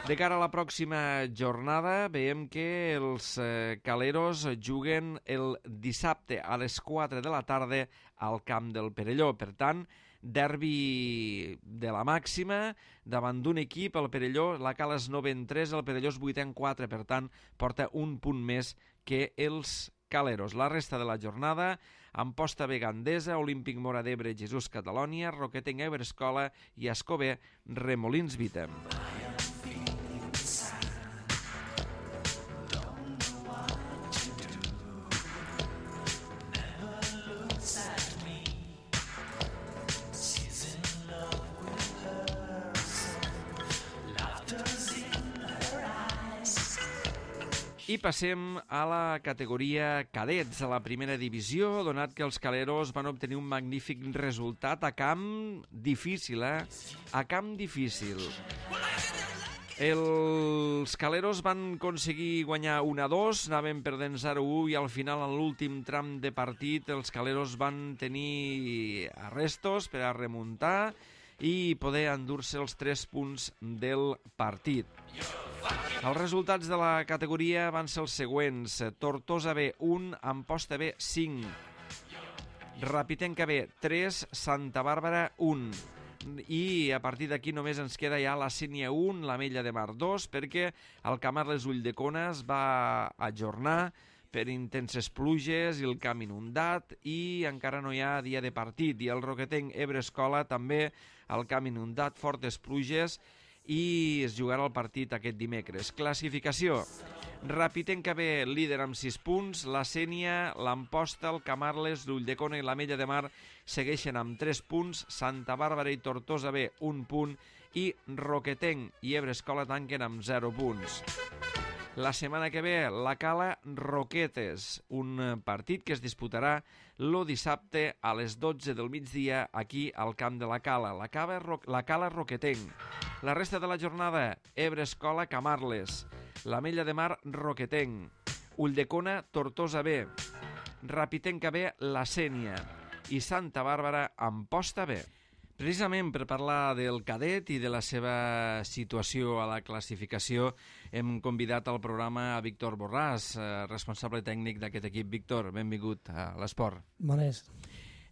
De cara a la pròxima jornada, veiem que els eh, caleros juguen el dissabte a les quatre de la tarda al camp del Perelló. Per tant, derbi de la màxima davant d'un equip, el Perelló, la Cala és novè en tres, el Perelló és vuitè en quatre, per tant, porta un punt més que els caleros. La resta de la jornada, Amposta B Gandesa, Olímpic Móra d'Ebre, Jesús Catalunya, Roquetenc Ebre Escola i Ascó B, Remolins Vitem. I passem a la categoria cadets, a la primera divisió, donat que els caleros van obtenir un magnífic resultat a camp difícil, eh? A camp difícil. Els Caleros van aconseguir guanyar un a dos, anaven perdent zero a u i al final, en l'últim tram de partit, els Caleros van tenir arrestos per a remuntar i poder endur-se els tres punts del partit. Els resultats de la categoria van ser els següents. Tortosa B, un, Amposta B, cinc. Rapitenca B, tres, Santa Bàrbara, un. I a partir d'aquí només ens queda ja la Sénia un, l'Ametlla de Mar dos, perquè el Camarles Ulldecona es va ajornar per intenses pluges i el camp inundat i encara no hi ha dia de partit. I el Roquetenc Ebre Escola també el camp inundat, fortes pluges, i es jugarà el partit aquest dimecres. Classificació: Rapitenca B, líder amb sis punts, la Sénia, l'Amposta, el Camarles, l'Ulldecona i l'Ametlla de Mar segueixen amb tres punts, Santa Bàrbara i Tortosa B, un punt, i Roquetenc i Ebre Escola tanquen amb zero punts. La setmana que ve, la Cala Roquetes, un partit que es disputarà el dissabte a les dotze del migdia aquí al camp de la Cala. La Cala, la Cala Roquetenc. La resta de la jornada, Ebre Escola Camarles, l'Ametlla de Mar Roquetenc, Ulldecona Tortosa B, Rapitenca B la Sénia i Santa Bàrbara Amposta B. Precisament per parlar del cadet i de la seva situació a la classificació hem convidat al programa a Víctor Borràs, responsable tècnic d'aquest equip. Víctor, benvingut a l'esport. Bones.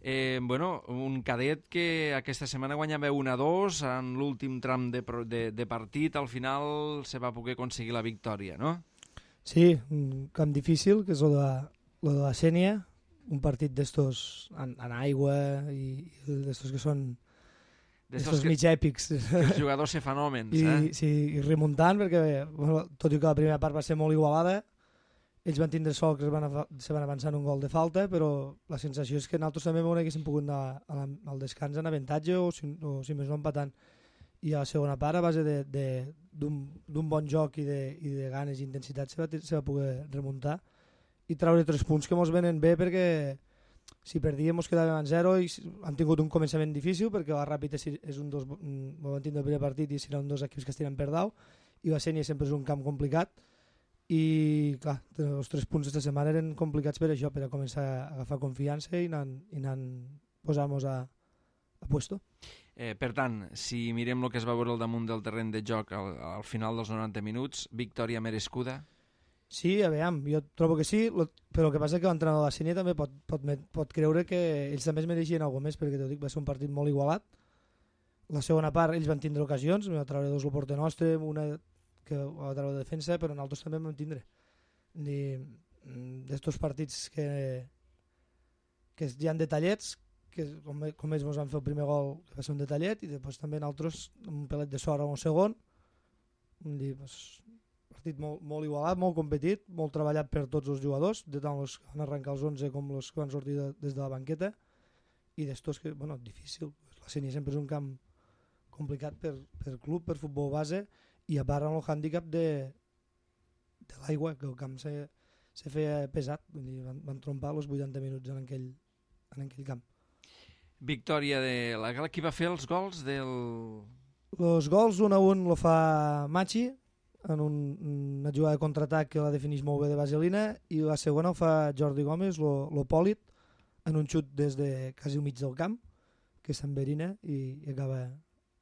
Eh, bueno, un cadet que aquesta setmana guanyava un a dos en l'últim tram de, de, de partit, al final se va poder aconseguir la victòria, no? Sí, un camp difícil, que és el de, el de la Sénia, un partit d'estos en, en aigua i, i d'estos que són d'estos mig èpics. Que els jugadors se fan hòmens, I, eh? Sí, i remuntant, perquè bueno, tot i que la primera part va ser molt igualada, ells van tindre sort que es van, se van avançar en un gol de falta, però la sensació és que nosaltres també haguéssim pogut anar a la, al descans en avantatge o si, o si més no empatant. I a la segona part, a base d'un bon joc i de, i de ganes i intensitat, se va, se va poder remuntar i treure tres punts que ens venen bé, perquè si perdíem ens quedàvem en zero i han tingut un començament difícil, perquè la Ràpid és un dos, van tindre el primer partit i serà un dos equips que es tiren per dalt, i la Sénia sempre és un camp complicat. I clar, els tres punts aquesta setmana eren complicats per això, per a començar a agafar confiança i anar, i anar posar-nos a, a puesto. Eh, per tant, si mirem el que es va veure al damunt del terreny de joc al, al final dels noranta minuts, victòria merescuda? Sí, a veure, jo trobo que sí, lo, però el que passa és que l'entrenador de la Sénia també pot, pot, pot creure que ells també es mereixien alguna més, perquè t'ho dic, va ser un partit molt igualat. La segona part ells van tindre ocasions, va treure dos al porter nostre, una que va treure de defensa, però nosaltres també vam tindre. D'estos partits que, que hi ha detallets, que com, com ells ens van fer el primer gol, que va ser un detallet, i després també nosaltres un pelet de sort a un segon. Dir, pues, partit molt, molt igualat, molt competit, molt treballat per tots els jugadors, de tant els que van arrencar els onze com els que van sortir de, des de la banqueta, i d'estos que, bueno, difícil. La Sénia sempre és un camp complicat per, per club, per futbol base, i a part amb el hàndicap de, de l'aigua, que el camp se, se feia pesat, dir, van, van trompar els vuitanta minuts en aquell, en aquell camp. Victòria de la Gala. Qui va fer els gols del... Els gols un a un lo fa Machi, en un, una jugada de contraatac que la defineix molt bé de vaselina, i la segona ho fa Jordi Gómez, lo, lo Pòlit, en un xut des de quasi al mig del camp, que s'enverina i, i, acaba,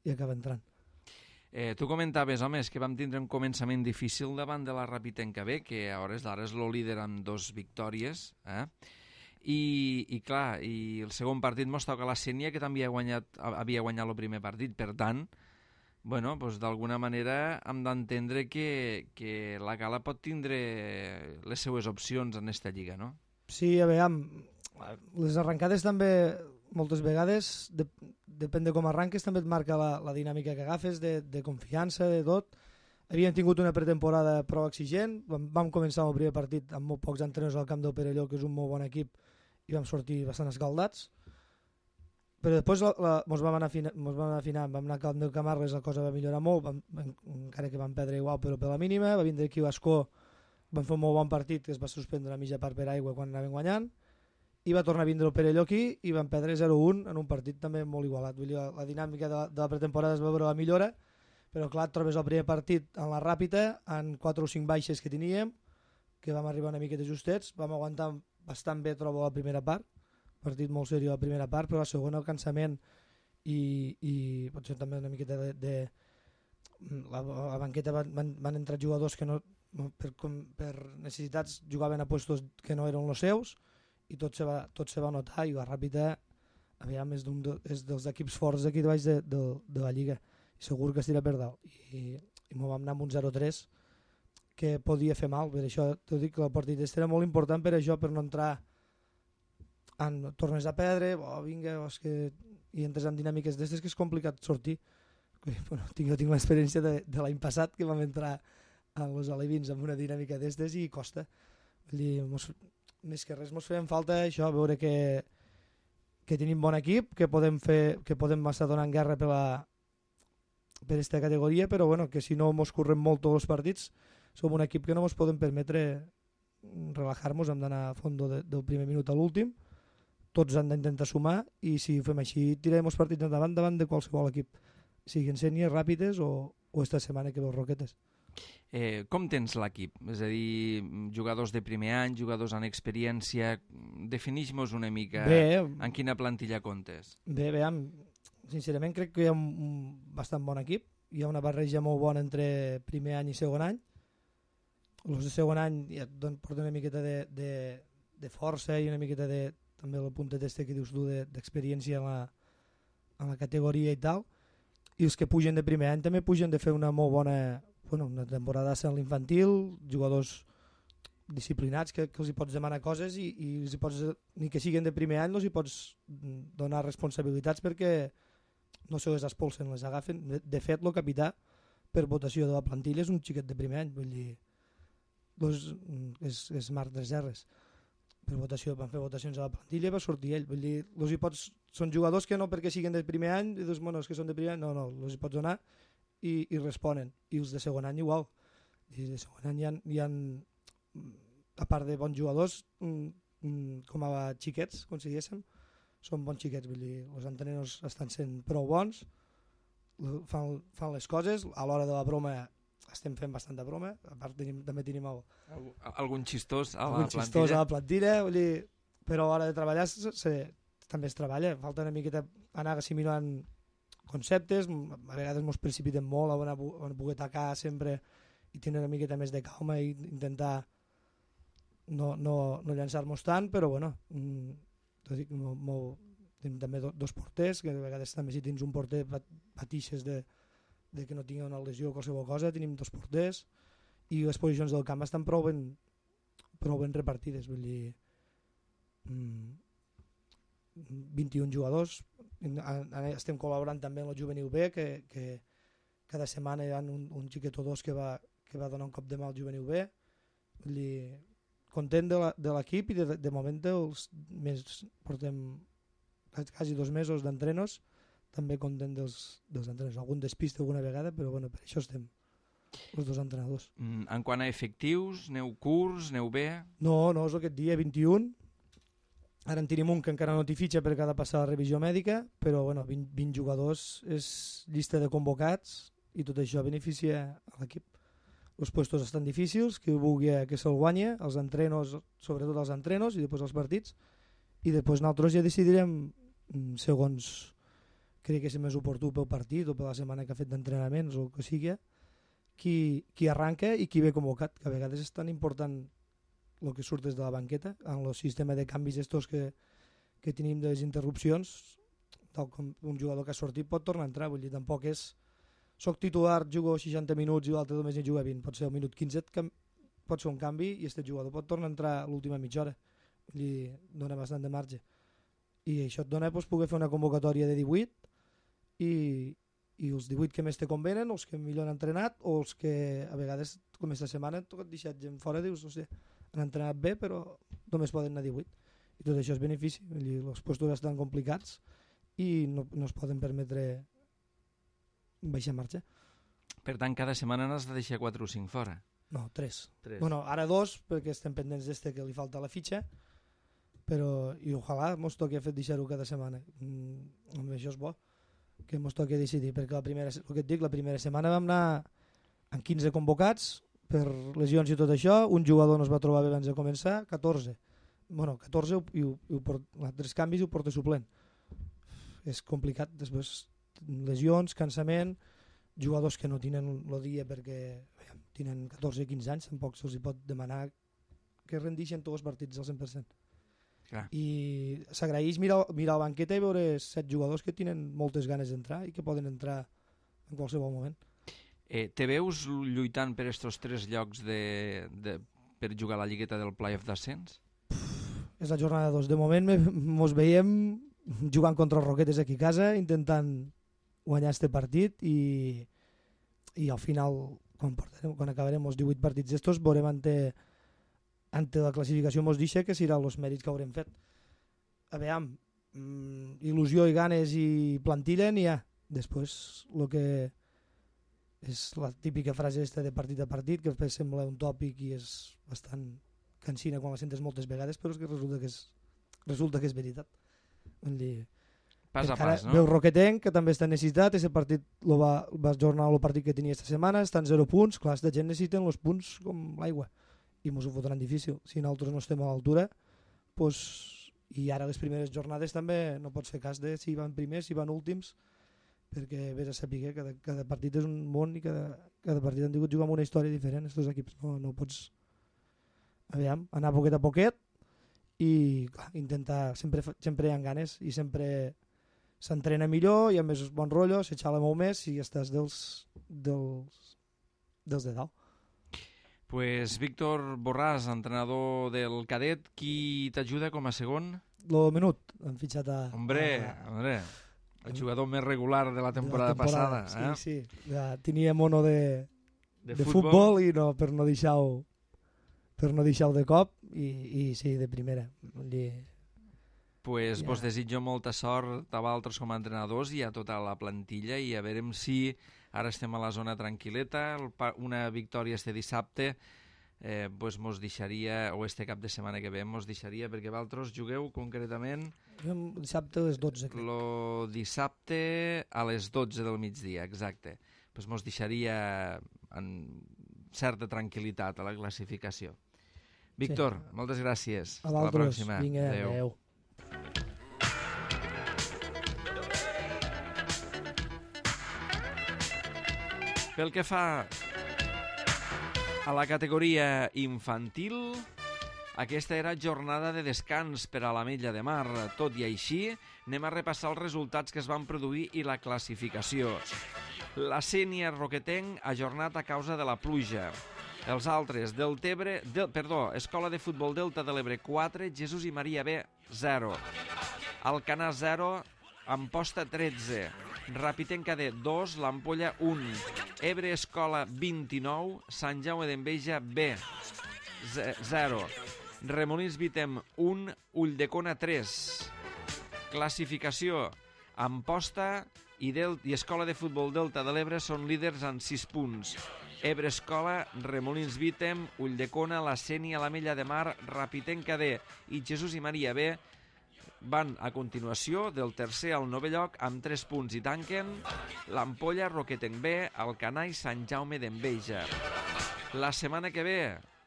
i acaba entrant. Eh, tu comentaves, homes, que vam tindre un començament difícil davant de la Rapitenca B, que a hores d'ara és el líder amb dos victòries, eh? I, i clar, i el segon partit mos toca la Sénia, que també havia guanyat, havia guanyat el primer partit, per tant, bueno, doncs d'alguna manera hem d'entendre que, que la Gala pot tindre les seues opcions en esta lliga, no? Sí, a veure, les arrencades també moltes vegades, de, depèn de com arranques, també et marca la, la dinàmica que agafes, de, de confiança, de tot. Havíem tingut una pretemporada prou exigent, vam, vam començar el primer partit amb molt pocs entrenadors al camp del Perelló, que és un molt bon equip, i vam sortir bastant escaldats. Però després la, la, mos vam anar afinant, mos vam anar afinant, vam anar al camp del Camarles, la cosa va millorar molt, vam, vam, encara que vam perdre igual, però per la mínima, va vindre aquí l'Escó, vam fer un molt bon partit, que es va suspendre a mitja part per aigua quan anàvem guanyant, i va tornar a vindre el Perelló aquí i van perdre zero a un en un partit també molt igualat. Vull dir, la, la dinàmica de la, de la pretemporada es va veure la millora, Però clar, et trobes el primer partit en la ràpida, en quatre o cinc baixes que teníem, que vam arribar una miqueta justets, vam aguantar bastant bé, trobo, la primera part, partit molt seriós la primera part, però la segona el cansament i, i potser també una miqueta de... de la, la banqueta van, van, van entrar jugadors que no, no per, com, per necessitats jugaven a puestos que no eren els seus i tot se va, tot se va notar i la ràpida aviam, és, de, és dels equips forts d'aquí de baix de, de, de la Lliga i segur que estirà per dalt i, i m'ho vam anar amb un zero tres que podia fer mal, per això t'ho dic que el partit este era molt important per això, per no entrar en, tornes a perdre oh, vinga, oh, és que i entres en dinàmiques d'estes que és complicat sortir. Bueno, tinc, jo tinc l'experiència de, de l'any passat que vam entrar a los alevins amb una dinàmica d'estes i costa. Vull dir, mos, més que res mos feien falta això, veure que, que tenim bon equip, que podem, fer, que podem estar donant guerra per la per aquesta categoria, però bueno, que si no mos correm molt tots els partits, som un equip que no mos podem permetre relajar-nos, hem d'anar a fons de, del primer minut a l'últim, tots han d'intentar sumar i si ho fem així tirarem els partits endavant davant de qualsevol equip, siguin sèniors ràpides o, o esta setmana que veus Roquetes. Eh, com tens l'equip? És a dir, jugadors de primer any, jugadors amb experiència, definix-nos una mica bé, en quina plantilla comptes. Bé, bé, sincerament crec que hi ha un, un bastant bon equip, hi ha una barreja molt bona entre primer any i segon any, els de segon any ja et porten una miqueta de, de, de força i una miqueta de, també el puntet este que dius tu d'experiència en, la, en la categoria i tal, i els que pugen de primer any també pugen de fer una molt bona, bueno, una temporada en l'infantil, jugadors disciplinats que, que els hi pots demanar coses i, i els hi pots, ni que siguin de primer any els hi pots donar responsabilitats perquè no se les expulsen, les agafen. De, de fet, el capità per votació de la plantilla és un xiquet de primer any, vull dir, los, és, és Marc Deserres. Per votació, van fer votacions a la plantilla i va sortir ell. Vull dir, los hi pots, són jugadors que no perquè siguin de primer any, i dius, bueno, és que són de primer any, no, no, els hi pots donar i, i responen. I els de segon any igual. I de segon any hi ha, hi ha a part de bons jugadors, com a xiquets, com si diguéssim, són bons xiquets, vull dir, els entrenadors estan sent prou bons, fan, fan les coses, a l'hora de la broma estem fent bastanta broma, a part tenim, també tenim el, Algun, algun xistós a algun la plantilla. xistós a la plantilla, vull dir, però a l'hora de treballar se, se, també es treballa, falta una miqueta anar assimilant conceptes, a vegades ens precipitem molt a on poder atacar sempre i tenir una miqueta més de calma i intentar no, no, no llançar-nos tant, però bueno, dic, molt, molt, tenim també do, dos porters, que a vegades també si tens un porter patixes de, de que no tingui una lesió o qualsevol cosa, tenim dos porters i les posicions del camp estan prou ben, prou ben repartides, vull dir mmm, vint-i-un jugadors, estem col·laborant també amb la Juvenil B, que, que cada setmana hi ha un, un xiquet o dos que va, que va donar un cop de mà al Juvenil B, vull dir, content de l'equip i de, de, de moment els més, portem quasi dos mesos d'entrenos, també content dels, dels entrenadors. Algun despiste alguna vegada, però bueno, per això estem els dos entrenadors. Mm, en quant a efectius, neu curts, neu bé? No, no, és aquest dia vint-i-un. Ara en tenim un que encara no t'hi fitxa perquè ha de passar la revisió mèdica, però bueno, vint, vint jugadors és llista de convocats i tot això beneficia a l'equip. Els puestos estan difícils, qui vulgui que se'l guanya, els entrenos, sobretot els entrenos i després els partits, i després nosaltres ja decidirem segons crec que és més oportú pel partit o per la setmana que ha fet d'entrenaments o el que sigui, qui, qui arranca i qui ve convocat, que a vegades és tan important el que surt des de la banqueta, en el sistema de canvis estos que, que tenim de les interrupcions, tal com un jugador que ha sortit pot tornar a entrar, vull dir, tampoc és soc titular, jugo seixanta minuts i l'altre només en juga vint, pot ser el minut quinze, pot ser un canvi i aquest jugador pot tornar a entrar a l'última mitja hora, vull dir, dona bastant de marge. I això et dona doncs, poder fer una convocatòria de divuit i, i els divuit que més te convenen, els que millor han entrenat o els que a vegades, com aquesta setmana, et tocat deixar gent fora, dius, o sigui, han entrenat bé però només poden anar divuit. I tot això és benefici, vull dir, els puestos estan complicats i no, no es poden permetre baixar marxa. Per tant, cada setmana n'has de deixar quatre o cinc fora? No, tres. tres. Bueno, ara dos, perquè estem pendents d'este que li falta la fitxa, però i ojalà mos toqui a fer deixar-ho cada setmana. Mm, això és bo. que ens toqui decidir, perquè la primera, el que et dic, la primera setmana vam anar amb quinze convocats per lesions i tot això, un jugador no es va trobar bé abans de començar, catorze. Bueno, catorze i, ho, i ho port, tres canvis i ho porta suplent. És complicat, després lesions, cansament, jugadors que no tenen el dia perquè veiem, tenen catorze o quinze anys, tampoc se'ls pot demanar que rendixen tots els partits al cent per cent. Clar. I s'agraeix mirar, mirar la banqueta i veure set jugadors que tenen moltes ganes d'entrar i que poden entrar en qualsevol moment. Eh, te veus lluitant per estos tres llocs de, de, per jugar a la lligueta del playoff d'ascens? És la jornada dos. De moment ens veiem jugant contra els Roquetes aquí a casa, intentant guanyar este partit i, i al final, quan, portarem, quan acabarem els divuit partits d'estos, veurem ante, ante la classificació mos deixa que seran els mèrits que haurem fet. A veure, mm, il·lusió i ganes i plantilla n'hi ha. Després, el que és la típica frase esta de partit a partit, que després sembla un tòpic i és bastant cansina quan la sentes moltes vegades, però és que resulta que és, resulta que és veritat. Vull dir, pas a pas, no? Veu Roquetenc, que també està necessitat, aquest partit lo va, va ajornar el partit que tenia esta setmana, estan zero punts, clar, la gent necessiten els punts com l'aigua, i mos ho fotran difícil. Si nosaltres no estem a l'altura, pues, i ara les primeres jornades també no pots fer cas de si van primers, si van últims, perquè vés a saber que cada, cada partit és un món i cada, cada partit han tingut jugar amb una història diferent, aquests equips. No, no pots aviam, anar poquet a poquet i clar, intentar, sempre, sempre hi ha ganes i sempre s'entrena millor i a més bon rotllo, s'eixala molt més i estàs dels, dels, dels de dalt. Pues Víctor Borràs, entrenador del cadet, qui t'ajuda com a segon? Lo Menut, han fitxat a... Hombre, a, hombre, el jugador més regular de la temporada, de la temporada passada. Eh? Sí, sí, ja tenia mono de, de, de futbol. futbol i no, per no deixar-ho per no deixar-ho de cop i, i sí, de primera. I, pues ja. Vos desitjo molta sort a vosaltres com a entrenadors i a tota la plantilla i a veurem si ara estem a la zona tranquil·leta, una victòria este dissabte eh, pues mos deixaria, o este cap de setmana que ve mos deixaria, perquè vosaltres jugueu concretament dissabte a les dotze. Crec. Lo dissabte a les dotze del migdia, exacte. Pues mos deixaria en certa tranquil·litat a la classificació. Víctor, sí. Moltes gràcies. A Hasta la pròxima. Vinga, adeu. adeu. Pel que fa a la categoria infantil, aquesta era jornada de descans per a l'Ametlla de Mar. Tot i així, anem a repassar els resultats que es van produir i la classificació. La Sénia Roquetenc ajornat a causa de la pluja. Els altres, del Tebre, del, perdó, Escola de Futbol Delta de l'Ebre quatre, Jesús i Maria B zero. Alcanar zero, Amposta tretze. Rapitenc A D dos, l'Ampolla un. Ebre Escola vint-i-nou, Sant Jaume d'Enveja B zero. Remolins Vitem un, Ulldecona tres. Classificació, Amposta i, Del i Escola de Futbol Delta de l'Ebre són líders amb sis punts. Ebre Escola, Remolins Vitem, Ulldecona, la Sénia, l'Ametlla de Mar, Rapitenc A D i Jesús i Maria B van a continuació del tercer al novè lloc amb tres punts i tanquen l'Ampolla, Roquetenc B, Alcanar i Sant Jaume d'Enveja. La setmana que ve,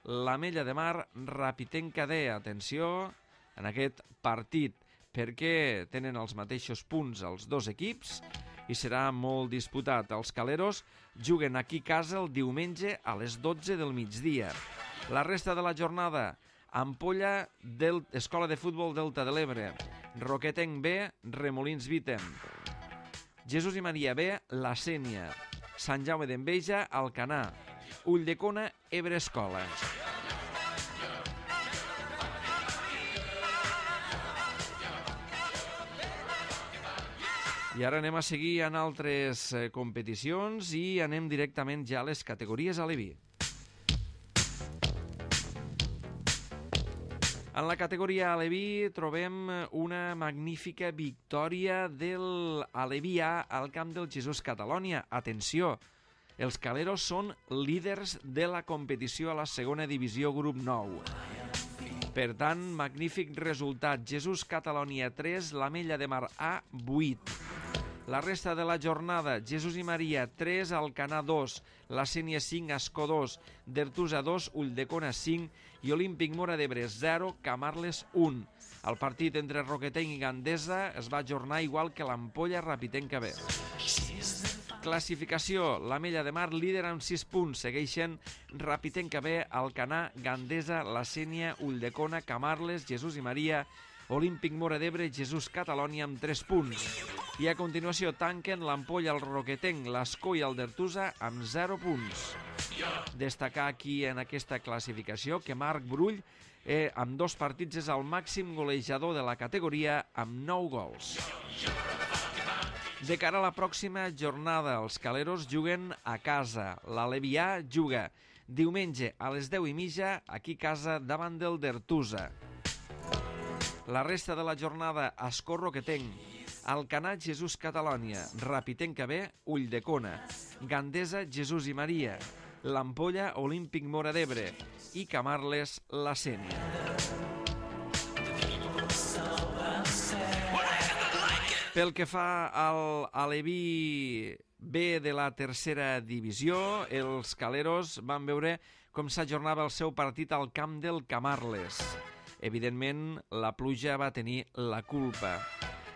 l'Ametlla de Mar, Rapitenc A D, atenció en aquest partit, perquè tenen els mateixos punts els dos equips i serà molt disputat. Els caleros juguen aquí a casa el diumenge a les dotze del migdia. La resta de la jornada, Ampolla, del... Escola de Futbol Delta de l'Ebre, Roquetenc B, Remolins Vitem, Jesús i Maria B, la Sénia, Sant Jaume d'Enveja, Alcanar, Ulldecona, Ebre Escola. I ara anem a seguir en altres eh, competicions i anem directament ja a les categories aleví. En la categoria aleví trobem una magnífica victòria del Aleví A al camp del Jesús Catalònia. Atenció, els caleros són líders de la competició a la segona divisió grup nou. Per tant, magnífic resultat. Jesús Catalònia tres, l'Ametlla de Mar A vuit. La resta de la jornada, Jesús i Maria tres, Alcanar dos, la Sénia cinc, Ascó dos, Dertusa dos, Ulldecona cinc i Olímpic Móra d'Ebre zero, Camarles un. El partit entre Roquetenc i Gandesa es va ajornar igual que l'Ampolla Rapitenca B. Classificació, l'Amella de Mar líder amb sis punts, segueixen Rapitenca B, Alcanar, Gandesa, la Sénia, Ulldecona, Camarles, Jesús i Maria, Olímpic Móra d'Ebre, Jesús Catalònia amb tres punts. I a continuació tanquen l'Ampolla, el Roquetenc, l'Ascó i el Dertusa amb zero punts. Destacar aquí en aquesta classificació que Marc Brull eh, amb dos partits és el màxim golejador de la categoria amb nou gols. De cara a la pròxima jornada, els caleros juguen a casa. L'Alevià juga diumenge a les deu i mitja aquí a casa davant del Dertusa. La resta de la jornada, Ascó Roquetenc, Alcanar Jesús Catalònia, Rapitenca B, Ulldecona, Gandesa Jesús i Maria, l'Ampolla Olímpic Móra d'Ebre i Camarles la Sénia. Pel que fa al Aleví B de la tercera divisió, els caleros van veure com s'ajornava el seu partit al camp del Camarles. Evidentment, la pluja va tenir la culpa.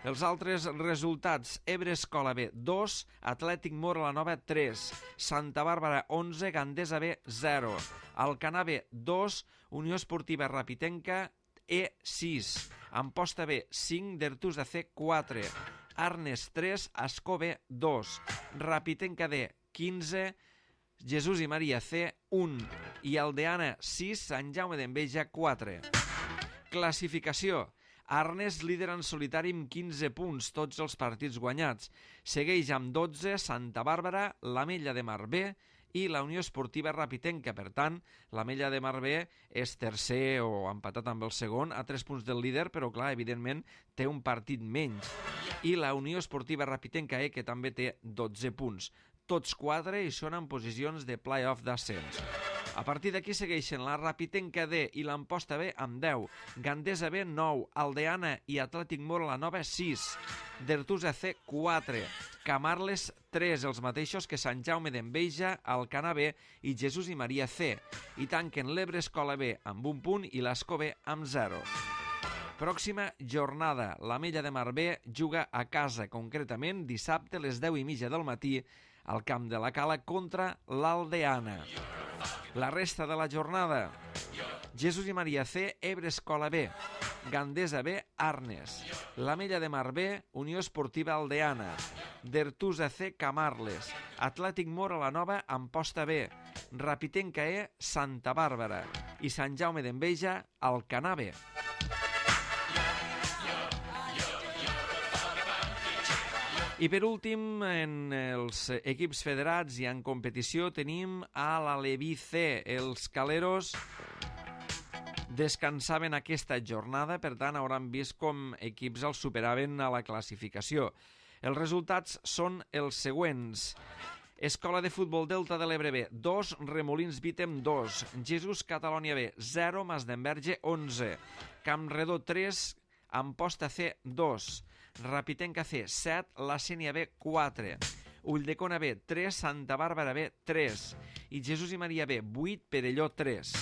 Els altres resultats, Ebre Escola B dos, Atlètic Móra la Nova tres, Santa Bàrbara onze, Gandesa B zero, Alcanar B dos, Unió Esportiva Rapitenca E sis, Amposta B cinc, Dertusa C quatre, Arnes tres, Ascó B dos, Rapitenca D quinze, Jesús i Maria C un i Aldeana sis, Sant Jaume d'Enveja quatre. Classificació. Arnes líder en solitari amb quinze punts, tots els partits guanyats. Segueix amb dotze Santa Bàrbara, l'Amella de Mar B i la Unió Esportiva Rapitenca. Per tant, l'Amella de Mar B és tercer o empatat amb el segon a tres punts del líder, però clar, evidentment té un partit menys. I la Unió Esportiva Rapitenca E, que també té dotze punts. Tots quatre i són en posicions de play-off d'ascens. A partir d'aquí segueixen la Rapitenca D i l'Amposta B amb deu, Gandesa B nou, Aldeana i Atlètic Móra la Nova sis, Dertusa C quatre, Camarles tres, els mateixos que Sant Jaume d'Enveja, Alcanar B i Jesús i Maria C, i tanquen l'Ebre Escola B amb un punt i l'Ascó B amb zero. Pròxima jornada, l'Amella de Mar B juga a casa, concretament dissabte a les deu i mitja del matí al camp de la Cala contra l'Aldeana. La resta de la jornada, Jesús i Maria C, Ebre Escola B, Gandesa B, Arnes, l'Amella de Mar B, Unió Esportiva Aldeana, Dertusa C, Camarles, Atlètic Móra la Nova, Amposta B, Rapitenca E, Santa Bàrbara i Sant Jaume d'Enveja, Alcanar B. I per últim, en els equips federats i en competició tenim a l'Aleví C. Els caleros descansaven aquesta jornada, per tant hauran vist com equips els superaven a la classificació. Els resultats són els següents. Escola de Futbol Delta de l'Ebre B, dos, Remolins Vítem dos, Jesús Catalònia B, zero, Masdenverge onze, Campredó tres, Amposta C dos, Rapitenca C set, la Sénia B quatre, Ulldecona B tres, Santa Bàrbara B tres i Jesús i Maria B vuit, Perelló tres.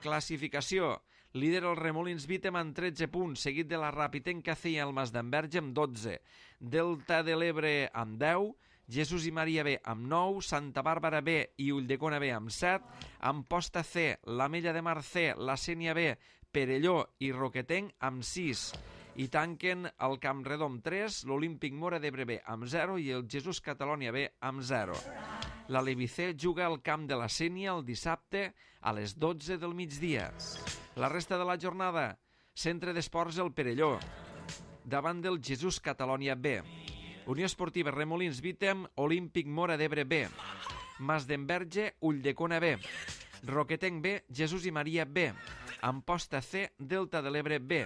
Classificació. Líder el Remolins Vítem amb tretze punts, seguit de la Rapitenca C i el Masdenverge amb dotze, Delta de l'Ebre amb deu, Jesús i Maria B amb nou, Santa Bàrbara B i Ulldecona B amb set, Amposta C, l'Amella de Mar C, la Sénia B, Perelló i Roquetenc amb sis. I tanquen el Campredó amb tres, l'Olímpic Móra d'Ebre B amb zero i el Jesús Catalònia B amb zero. L'Aleví C juga al camp de la Sénia el dissabte a les dotze del migdia. La resta de la jornada, Centre d'Esports El Perelló, davant del Jesús Catalònia B. Unió Esportiva Remolins Vítem, Olímpic Móra d'Ebre B. Masdenverge, Ulldecona B. Roquetenc B, Jesús i Maria B. Amposta C, Delta de l'Ebre B.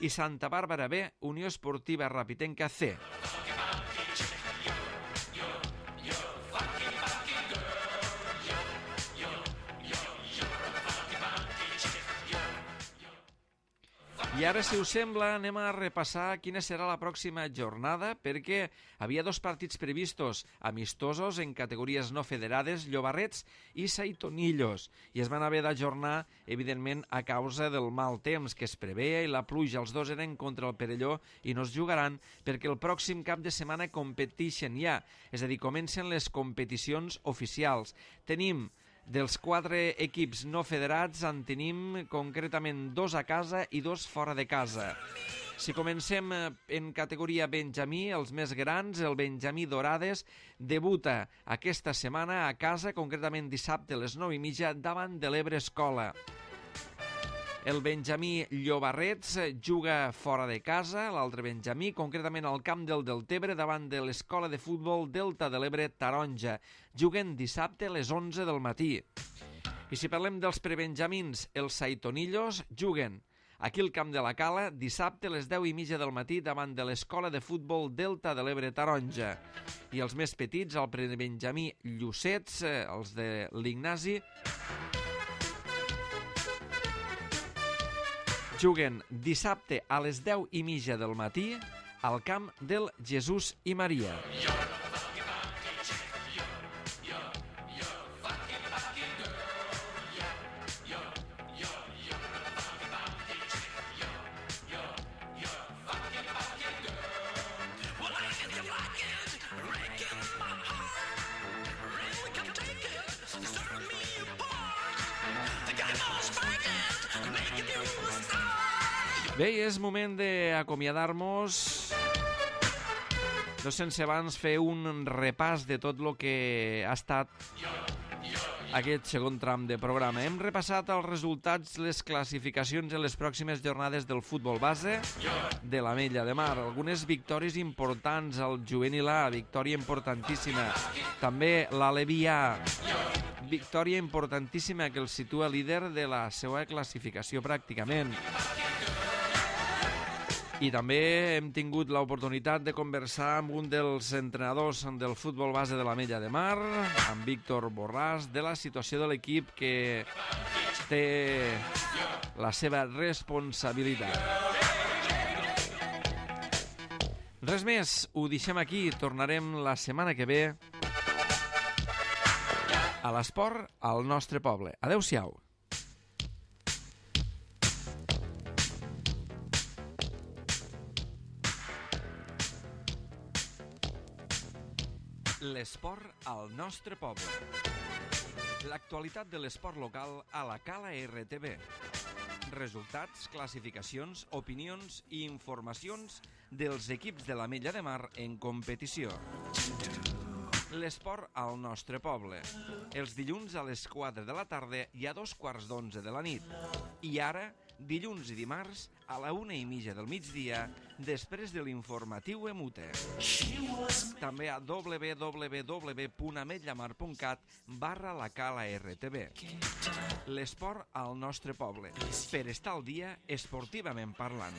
I Santa Bàrbara B, Unió Esportiva Rapitenca C. I I ara, si us sembla, anem a repassar quina serà la pròxima jornada, perquè havia dos partits previstos amistosos en categories no federades, Llobarrets i Saitonillos, i es van haver d'ajornar, evidentment, a causa del mal temps que es preveia i la pluja. Els dos eren contra el Perelló i no es jugaran perquè el pròxim cap de setmana competeixen ja, és a dir, comencen les competicions oficials. Tenim dels quatre equips no federats, en tenim concretament dos a casa i dos fora de casa. Si comencem en categoria Benjamí, els més grans, el Benjamí Dorades debuta aquesta setmana a casa, concretament dissabte a les nou i mitja, davant de l'Ebre Escola. El Benjamí Llobarrets juga fora de casa, l'altre Benjamí, concretament al camp del Deltebre, davant de l'Escola de Futbol Delta de l'Ebre Taronja. Juguen dissabte a les onze del matí. I si parlem dels prebenjamins, els Saitonillos juguen aquí al camp de la Cala dissabte a les deu i mitja del matí davant de l'Escola de Futbol Delta de l'Ebre Taronja. I els més petits, el prebenjamí Llucets, els de l'Ignasi, juguen dissabte a les deu i mitja del matí al camp del Jesús i Maria. Bé, és moment d'acomiadar-nos, no sense abans fer un repàs de tot el que ha estat aquest segon tram de programa. Hem repassat els resultats, les classificacions en les pròximes jornades del futbol base de l'Ametlla de Mar. Algunes victòries importants, el juvenil A, victòria importantíssima. També l'Aleví A, victòria importantíssima que el situa líder de la seva classificació pràcticament. I també hem tingut l'oportunitat de conversar amb un dels entrenadors del futbol base de l'Ametlla de Mar, amb Víctor Borràs, de la situació de l'equip que té la seva responsabilitat. Res més, ho deixem aquí, tornarem la setmana que ve a l'esport al nostre poble. Adéu-siau. L'esport al nostre poble. L'actualitat de l'esport local a la Cala R T V. Resultats, classificacions, opinions i informacions dels equips de l'Ametlla de Mar en competició. L'esport al nostre poble. Els dilluns a les quatre de la tarda i a dos quarts d'onze de la nit. I ara, dilluns i dimarts, a la una i mitja del migdia, després de l'informatiu Emute. També a w w w punt ametllamar punt cat barra la Cala R T V. L'esport al nostre poble, per estar al dia esportivament parlant.